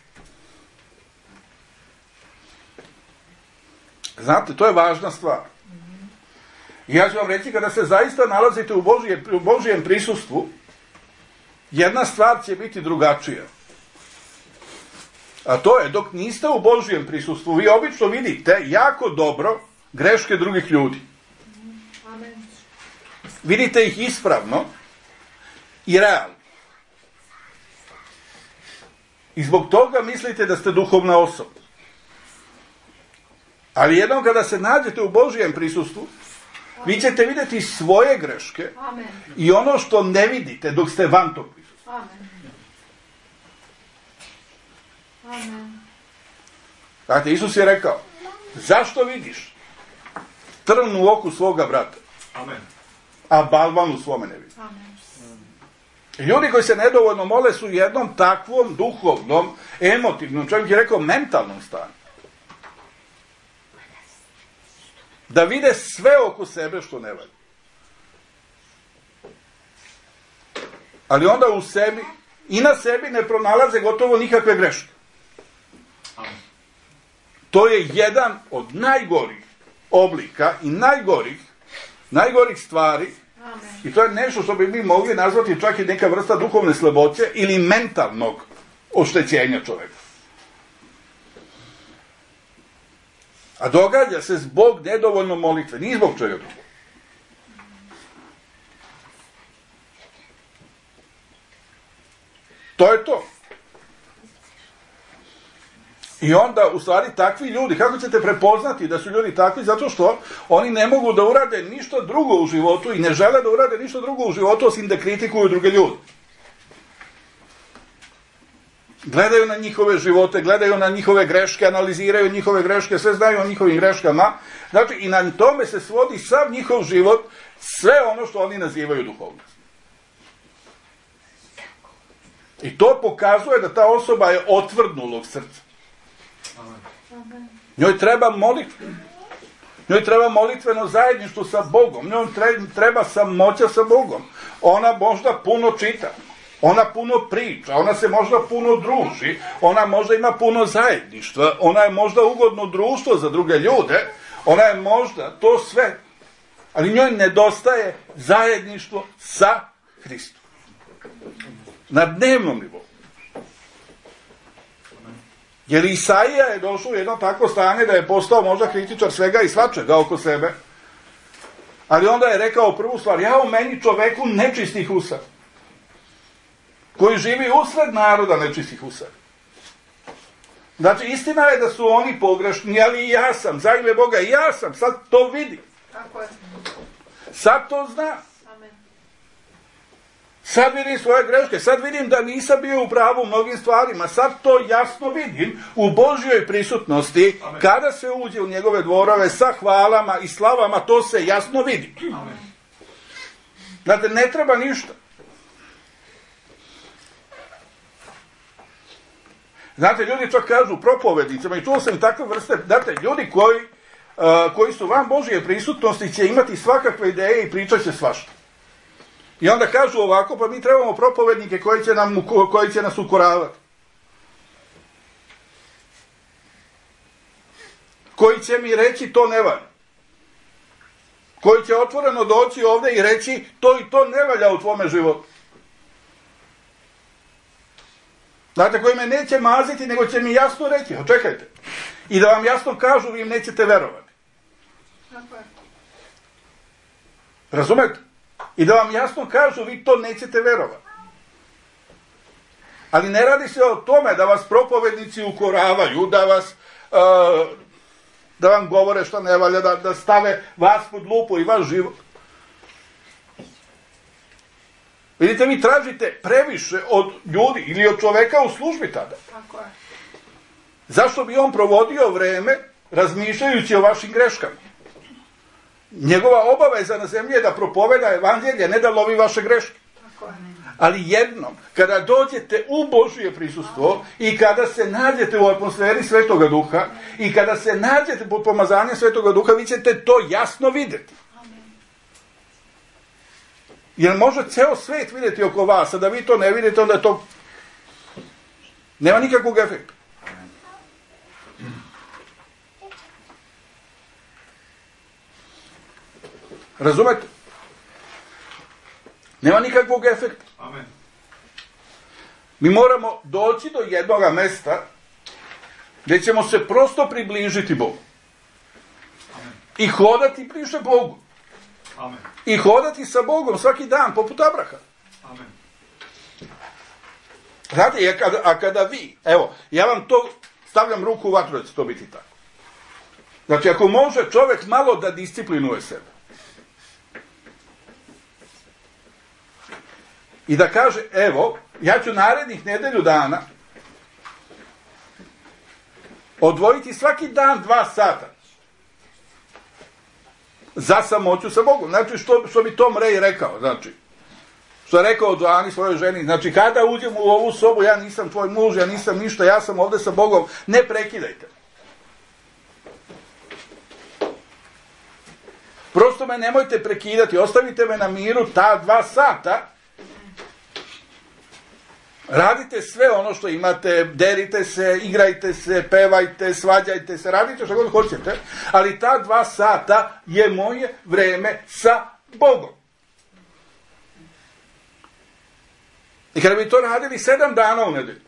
Znate, to je važna stvar. I ja ću vam reći, kada se zaista nalazite u, Božje, u Božjem prisustvu, jedna stvar će biti drugačija. A to je, dok niste u Božjem prisustvu, vi obično vidite jako dobro greške drugih ljudi. Vidite ih ispravno i realno. I zbog toga mislite da ste duhovna osoba. Ali jednom kada se nađete u Božjem prisustvu, vi ćete vidjeti svoje greške Amen. I ono što ne vidite dok ste van tog prisustva. Amen. Amen. Dakle, Isus je rekao, zašto vidiš trn u oku svoga brata, Amen. a balvan u svome ne vidi? Amen. Ljudi koji se nedovoljno mole su u jednom takvom duhovnom, emotivnom, čovjek je rekao mentalnom stanju. da vide sve oko sebe što ne valja. Ali onda u sebi i na sebi ne pronalaze gotovo nikakve greške. To je jedan od najgorih oblika i najgorih, najgorih stvari. Amen. I to je nešto što bi mi mogli nazvati čak i neka vrsta duhovne slaboće ili mentalnog oštećenja čovjeka. A događa se zbog nedovoljno molitve, nije zbog čega drugog. To je to. I onda, u stvari, takvi ljudi, kako ćete prepoznati da su ljudi takvi? Zato što oni ne mogu da urade ništa drugo u životu i ne žele da urade ništa drugo u životu osim da kritikuju druge ljude. Gledaju na njihove živote, gledaju na njihove greške, analiziraju njihove greške, sve znaju o njihovim greškama. Znači, i na tome se svodi sav njihov život, sve ono što oni nazivaju duhovnost. I to pokazuje da ta osoba je otvrdnulog srca. Njoj treba molitva. Njoj treba molitveno zajedništvo sa Bogom. Njoj treba samoća sa Bogom. Ona možda puno čita. Ona puno priča. Ona se možda puno druži. Ona možda ima puno zajedništva. Ona je možda ugodno društvo za druge ljude. Ona je možda to sve. Ali njoj nedostaje zajedništvo sa Hristom. Na dnevnom nivou. Jer Isaija je došao u jedno takvo stanje da je postao možda kritičar svega i svačega oko sebe. Ali onda je rekao prvu stvar, ja u meni čoveku nečistih usa, koji živi usred naroda nečistih usa. Znači, istina je da su oni pogrešni, ali i ja sam, za ime Boga, i ja sam, sad to vidim. Tako je. Sad to znam. Sad vidim svoje greške, sad vidim da nisam bio u pravu u mnogim stvarima, sad to jasno vidim u Božjoj prisutnosti. Amen. Kada se uđe u njegove dvorove sa hvalama i slavama, to se jasno vidi. Amen. Znate, ne treba ništa. Znate, ljudi čak kažu propovednicama, i čuo sam i takve vrste, znate, ljudi koji, uh, koji su van Božje prisutnosti će imati svakakve ideje i pričat će svašta. I onda kažu ovako, pa mi trebamo propovednike koji će, nam, koji će nas ukoravati. Koji će mi reći to ne valja. Koji će otvoreno doći ovdje i reći to i to ne valja u tvome životu. Znate, koji me neće maziti, nego će mi jasno reći, očekajte. I da vam jasno kažu, vi im nećete verovati. Razumete? I da vam jasno kažu, vi to nećete verovati. Ali ne radi se o tome da vas propovednici ukoravaju, da vas, uh, da vam govore što ne valja, da, da stave vas pod lupu i vaš život. Vidite, vi tražite previše od ljudi ili od čoveka u službi tada. Tako je. Zašto bi on provodio vreme razmišljajući o vašim greškama? Njegova obaveza na zemlji je da propoveda evanđelje, ne da lovi vaše greške. Ali jednom, kada dođete u Božje prisustvo i kada se nađete u atmosferi Svetoga Duha i kada se nađete pod pomazanjem Svetoga Duha, vi ćete to jasno vidjeti. Jer može ceo svet vidjeti oko vas, a da vi to ne vidite, onda je to nema nikakvog efekta. Razumete? Nema nikakvog efekta. Amen. Mi moramo doći do jednoga mesta gdje ćemo se prosto približiti Bogu. Amen. I hodati bliže Bogu. Amen. I hodati sa Bogom svaki dan, poput Abraha. Amen. Znate, a kada, a kada vi, evo, ja vam to stavljam ruku u vatru da će to biti tako. Znači, ako može čovjek malo da disciplinuje sebe, i da kaže, evo, ja ću narednih nedelju dana odvojiti svaki dan dva sata za samoću sa Bogom. Znači, što, što bi Tom Ray rekao, znači, što je rekao Joani svojoj ženi, znači, kada uđem u ovu sobu, ja nisam tvoj muž, ja nisam ništa, ja sam ovdje sa Bogom, ne prekidajte. Prosto me nemojte prekidati, ostavite me na miru ta dva sata. Radite sve ono što imate, derite se, igrajte se, pevajte, svađajte se, radite što god hoćete, ali ta dva sata je moje vreme sa Bogom. I kada bi to radili sedam dana u nedelju,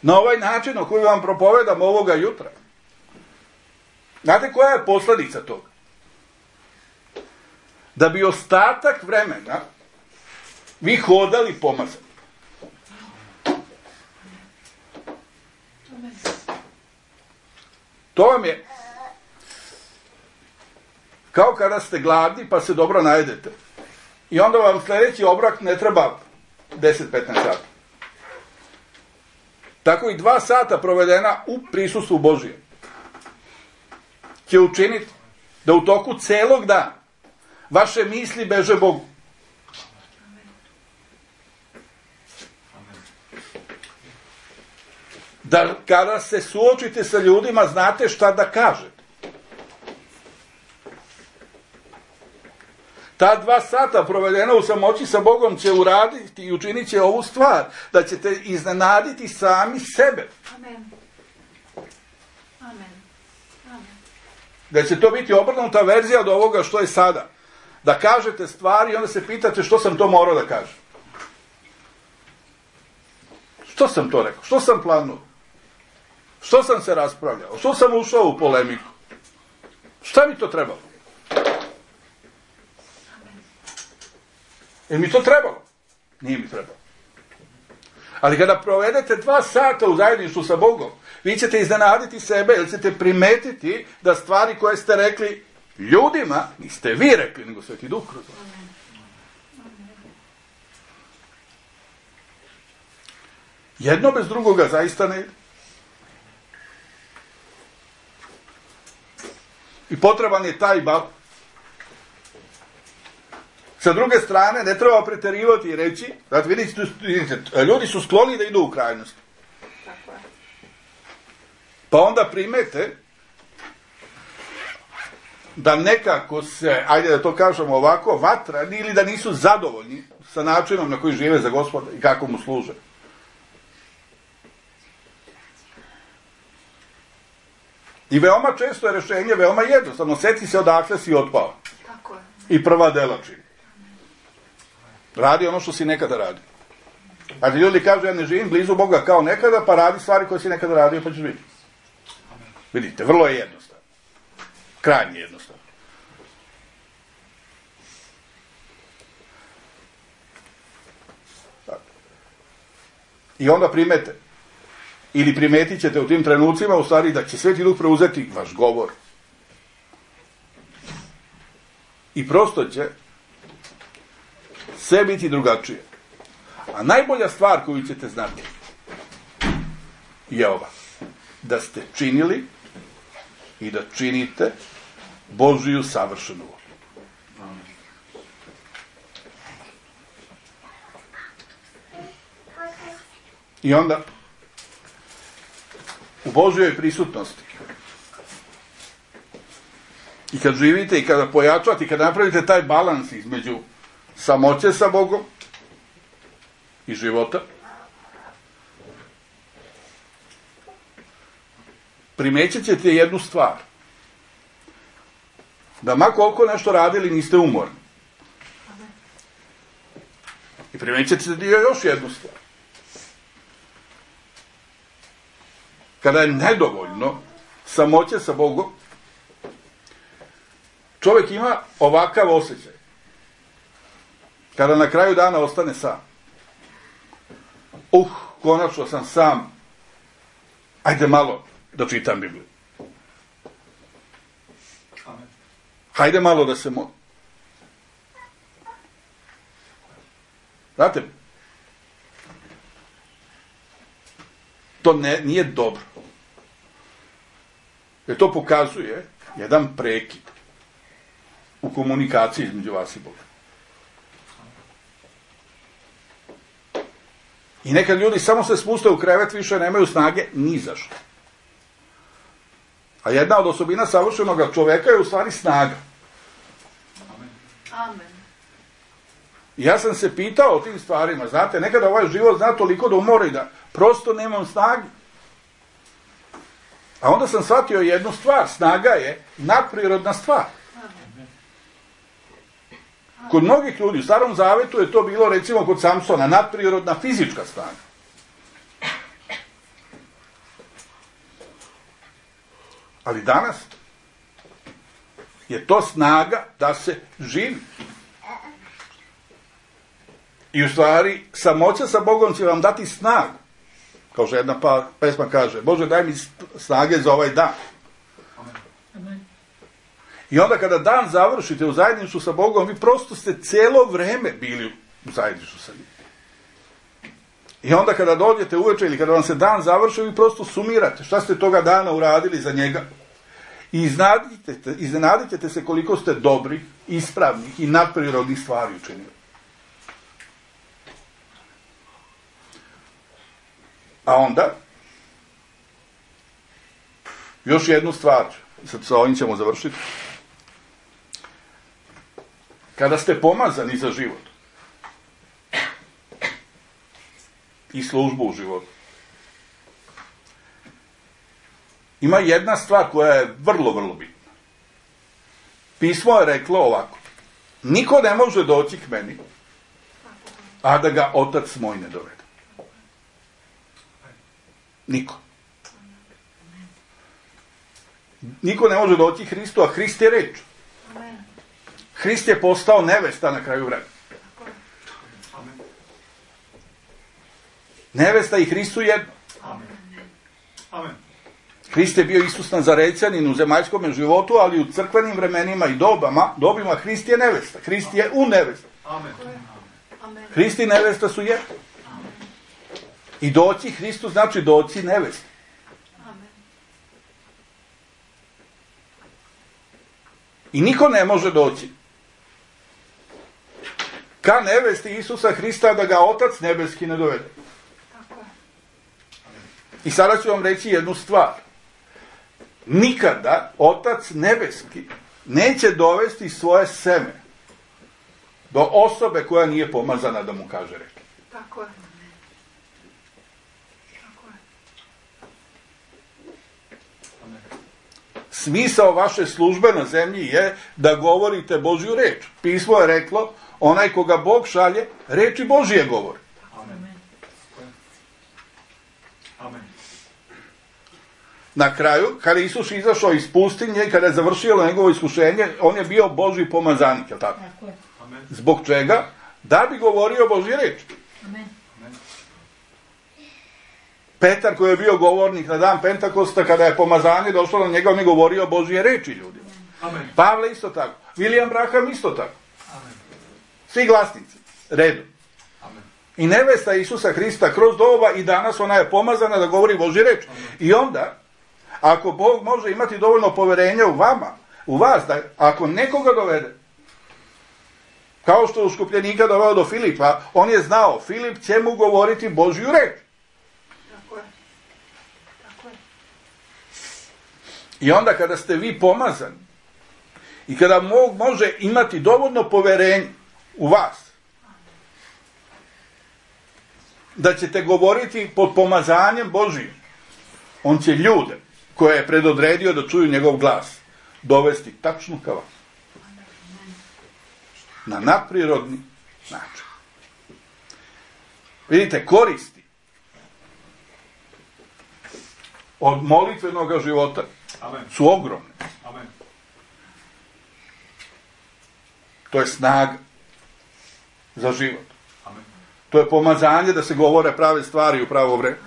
na ovaj način o koji vam propovedam ovoga jutra, znate koja je posljedica toga? Da bi ostatak vremena vi hodali pomazani. To vam je kao kada ste gladni pa se dobro najedete i onda vam sljedeći obrok ne treba deset do petnaest sati. Tako i dva sata provedena u prisustvu Božije će učiniti da u toku celog dana vaše misli beže Bogu. Da kada se suočite sa ljudima znate šta da kažete. Ta dva sata provedena u samoći sa Bogom će uraditi i učinit će ovu stvar, da ćete iznenaditi sami sebe. Amen. Amen. Amen. Da će to biti obrnuta verzija od ovoga što je sada. Da kažete stvari i onda se pitate što sam to morao da kažem. Što sam to rekao? Što sam planuo? Što sam se raspravljao? Što sam ušao u polemiku? Šta mi to trebalo? Je mi to trebalo? Nije mi trebalo. Ali kada provedete dva sata u zajedništvu sa Bogom, vi ćete iznenaditi sebe, jer ćete primetiti da stvari koje ste rekli ljudima, niste vi rekli, nego Sveti Duh kroz vas. Jedno bez drugoga zaista ne ide. I potreban je taj balans. Sa druge strane, ne treba preterivati i reći, znači vidite, vidite, ljudi su skloni da idu u krajnost. Tako je. Pa onda primete da nekako se, ajde da to kažemo ovako, vatra, ili da nisu zadovoljni sa načinom na koji žive za Gospoda i kako mu služe. I veoma često je rješenje veoma jednostavno. Sjeti se odakle si otpao. Tako je. I prva dela čini. Radi ono što si nekada radio. A ti ljudi kažu, ja ne živim blizu Boga kao nekada, pa radi stvari koje si nekada radio, pa ćeš vidjeti. Vidite, vrlo je jednostavno. Krajnje jednostavno. I onda primete. Ili primetit ćete u tim trenucima, u stvari, da će Sveti Duh preuzeti vaš govor. I prosto će sve biti drugačije. A najbolja stvar koju ćete znati je ova. Da ste činili i da činite Božiju savršenu volju. I onda u Božjoj prisutnosti i kad živite i kada pojačate i kada napravite taj balans između samoće sa Bogom i života, primećat ćete jednu stvar. Da ma koliko nešto radili niste umorni. I primećat ćete još jednu stvar. Kada je nedovoljno samoće sa Bogom, čovjek ima ovakav osjećaj. Kada na kraju dana ostane sam. Uh, konačno sam sam. Ajde malo da čitam Bibliju. Hajde malo da se molim. Znate, to ne, nije dobro. Jer to pokazuje jedan prekid u komunikaciji između vas i Boga. I nekad ljudi samo se spuste u krevet, više nemaju snage ni za što. A jedna od osobina savršenog čoveka je u stvari snaga. Amen. Ja sam se pitao o tim stvarima, znate, nekada ovaj život zna toliko da umori da prosto nemam snage. A onda sam shvatio jednu stvar, snaga je nadprirodna stvar. Kod mnogih ljudi, u Starom Zavetu je to bilo, recimo kod Samsona, nadprirodna fizička snaga. Ali danas je to snaga da se živi. I u stvari, samoća sa Bogom će vam dati snagu. Kao što jedna pa, pesma kaže, Bože, daj mi snage za ovaj dan. Amen. I onda kada dan završite u zajedništvu sa Bogom, vi prosto ste cijelo vreme bili u zajedništvu sa njim. I onda kada dođete uveče ili kada vam se dan završi, vi prosto sumirate šta ste toga dana uradili za njega. I iznenadite, iznenadite se koliko ste dobri, ispravnih i nadprirodnih stvari učinili. A onda, još jednu stvar, sad sa ovim ćemo završiti. Kada ste pomazani za život i službu u životu, ima jedna stvar koja je vrlo, vrlo bitna. Pismo je reklo ovako: niko ne može doći k meni, a da ga Otac moj ne dovede. Niko. Niko ne može doći Hristu, a Hrist je reč. Hrist je postao nevesta na kraju vremena. Nevesta i Hrist su jedno. Amen. Hrist je bio Isus Nazarećanin u zemaljskom životu, ali u crkvenim vremenima i dobama, dobima Hrist je nevesta. Hrist je u nevesta. Amen. Hrist i nevesta su jedno. I doći Hristu znači doći nevesti. I niko ne može doći ka nevesti Isusa Hrista da ga Otac nebeski ne dovede. I sada ću vam reći jednu stvar. Nikada Otac nebeski neće dovesti svoje seme do osobe koja nije pomazana da mu kaže reč. Tako je. Smisao vaše službe na zemlji je da govorite Božju reč. Pismo je reklo, onaj koga Bog šalje, reči Božije govori. Amen. Amen. Na kraju, kada je Isus izašao iz pustinje i kada je završilo njegovo iskušenje, on je bio Božji pomazanik, je li tako? Tako je. Amen. Zbog čega? Da bi govorio Božje reči. Amen. Petar, koji je bio govornik na dan Pentakosta, kada je pomazanje došlo na njega, on je govorio Božje reči ljudima. Amen. Pavle isto tako. William Branham isto tako. Amen. Svi glasnici. Redom. Amen. I nevesta Isusa Hrista kroz doba i danas ona je pomazana da govori Božje reč. I onda, ako Bog može imati dovoljno poverenja u vama, u vas, da ako nekoga dovede, kao što je uskupljenika doveo do Filipa, on je znao, Filip će mu govoriti Božju reč. Tako je. Tako je. I onda kada ste vi pomazani i kada Bog može imati dovoljno poverenja u vas, da ćete govoriti pod pomazanjem Božijim, on će ljude koje je predodredio da čuju njegov glas dovesti tačno ka vam. Na nadprirodni način. Vidite, koristi od molitvenog života Amen. su ogromne. Amen. To je snaga za život. Amen. To je pomazanje da se govore prave stvari u pravo vreme.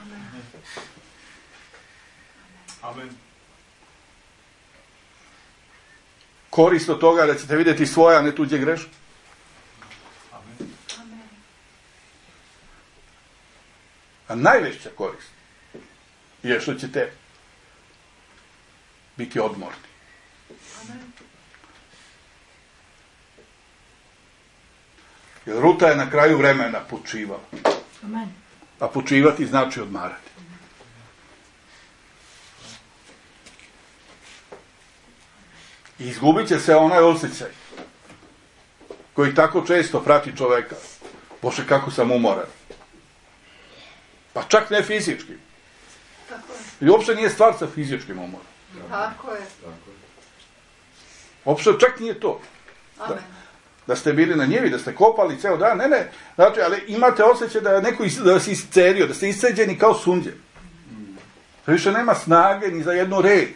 Amen. Korist od toga da ćete vidjeti svoje, a ne tuđe greške. Amen. A najveća korist je što ćete biti odmorni. Jer Ruta je na kraju vremena počivala. Amen. A počivati znači odmarati. I izgubit će se onaj osjećaj koji tako često prati čoveka. Bože, kako sam umoran. Pa čak ne fizički. Tako je. I uopšte nije stvar sa fizičkim umorom. Tako je. Uopšte čak nije to. Amen. Da ste bili na njivi, da ste kopali ceo dan, ne, ne. Znači, ali imate osjećaj da je neko is, da vas iscerio, da ste isceđeni kao sunđe. Da više nema snage ni za jednu reč,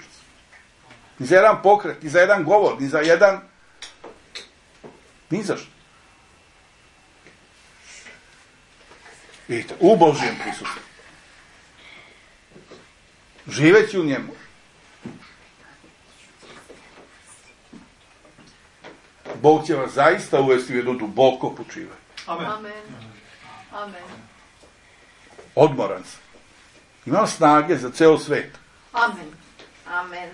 ni za jedan pokret, ni za jedan govor, ni za jedan... Ni za što. Vidite, u Božjem prisustvu. Živeći u njemu. Bog će vas zaista uvesti u jedno duboko počivanje. Amen. Amen. Amen. Odmoran sam. Imam snage za ceo svet. Amen. Amen.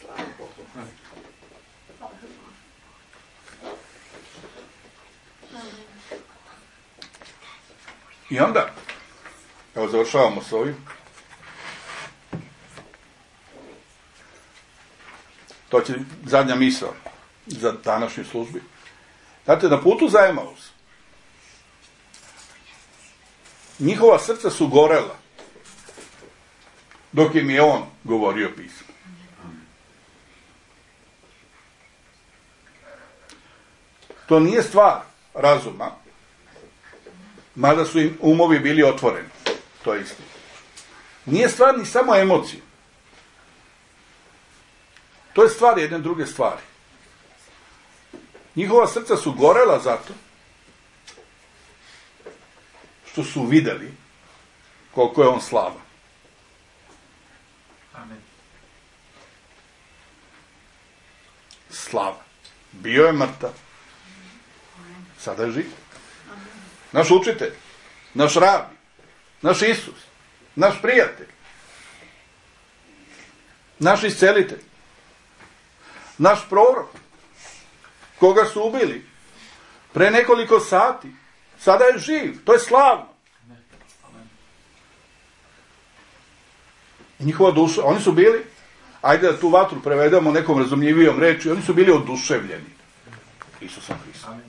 Slava Bogu. I onda, evo završavamo s ovim. To će zadnja misao za današnju službu. Znate, na putu za Emaus, njihova srca su gorela dok im je on govorio pismo. To nije stvar razuma, mada su im umovi bili otvoreni. To je istina. Nije stvar ni samo emocije. To je stvar jedne druge stvari. Njihova srca su gorela zato što su videli koliko je on slavan. Amen. Slavan. Bio je mrtav. Sada je živ. Naš učitelj, naš rabi, naš Isus, naš prijatelj, naš iscelitelj, naš prorok, koga su ubili pre nekoliko sati, sada je živ, to je slavno. I njihova duša, oni su bili, ajde da tu vatru prevedemo nekom razumljivijom reči, oni su bili oduševljeni Isusom Hristom.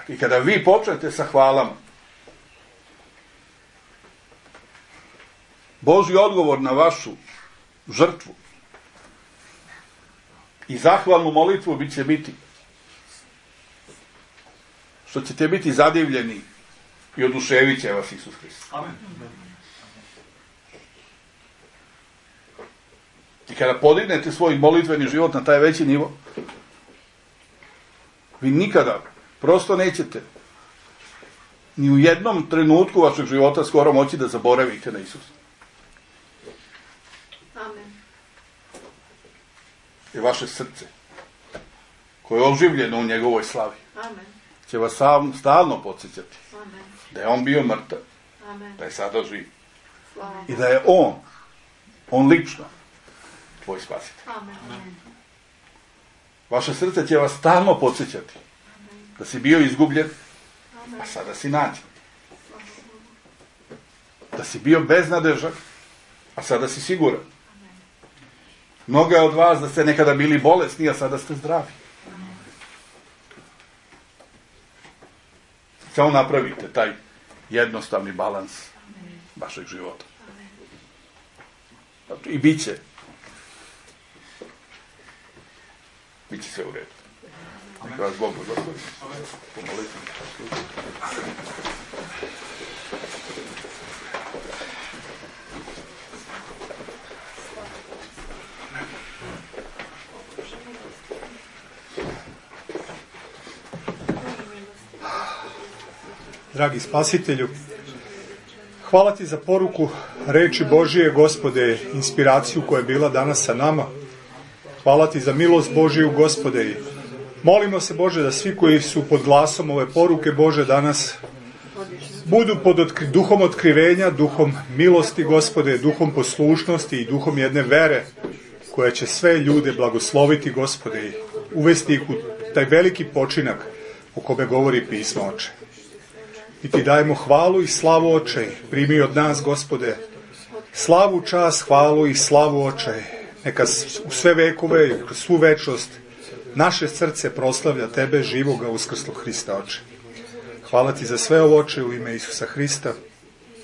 I kada vi počnete sa hvalama, Božji odgovor na vašu žrtvu i zahvalnu molitvu bit će biti što ćete biti zadivljeni i oduševit će vas Isus Hrist. Amen. I kada podignete svoj molitveni život na taj veći nivo, vi nikada prosto nećete ni u jednom trenutku vašeg života skoro moći da zaboravite na Isusa. Amen. I vaše srce, koje je oživljeno u njegovoj slavi, Amen. će vas sam, stalno podsjećati Amen. da je on bio mrtav, Amen. da je sada živ Slava i da je on, on lično, tvoj spasitelj. Amen. Amen. Vaše srce će vas stalno podsjećati da si bio izgubljen, Amen. a sada si nađen. Da si bio beznadežan, a sada si siguran. Mnoga od vas da ste nekada bili bolesni, a sada ste zdravi. Samo napravite taj jednostavni balans vašeg života. I bit će. Bit će sve u redu. Neka vas Bog blagoslovi. Pomolite. Dragi Spasitelju, hvala ti za poruku reči Božije, Gospode, inspiraciju koja je bila danas sa nama. Hvala ti za milost Božiju, Gospode. I molimo se, Bože, da svi koji su pod glasom ove poruke, Bože, danas budu pod otkri, duhom otkrivenja, duhom milosti, Gospode, duhom poslušnosti i duhom jedne vere koja će sve ljude blagosloviti, Gospode, i uvesti ih u taj veliki počinak o kome govori pismo, Oče. I ti dajemo hvalu i slavu, Oče, primi od nas, Gospode, slavu, čast, hvalu i slavu, Oče. neka u sve vekove i kroz svu večnost naše srce proslavlja Tebe, živoga uskrslog Hrista, Oče. Hvala Ti za sve ovo, Oče, u ime Isusa Hrista.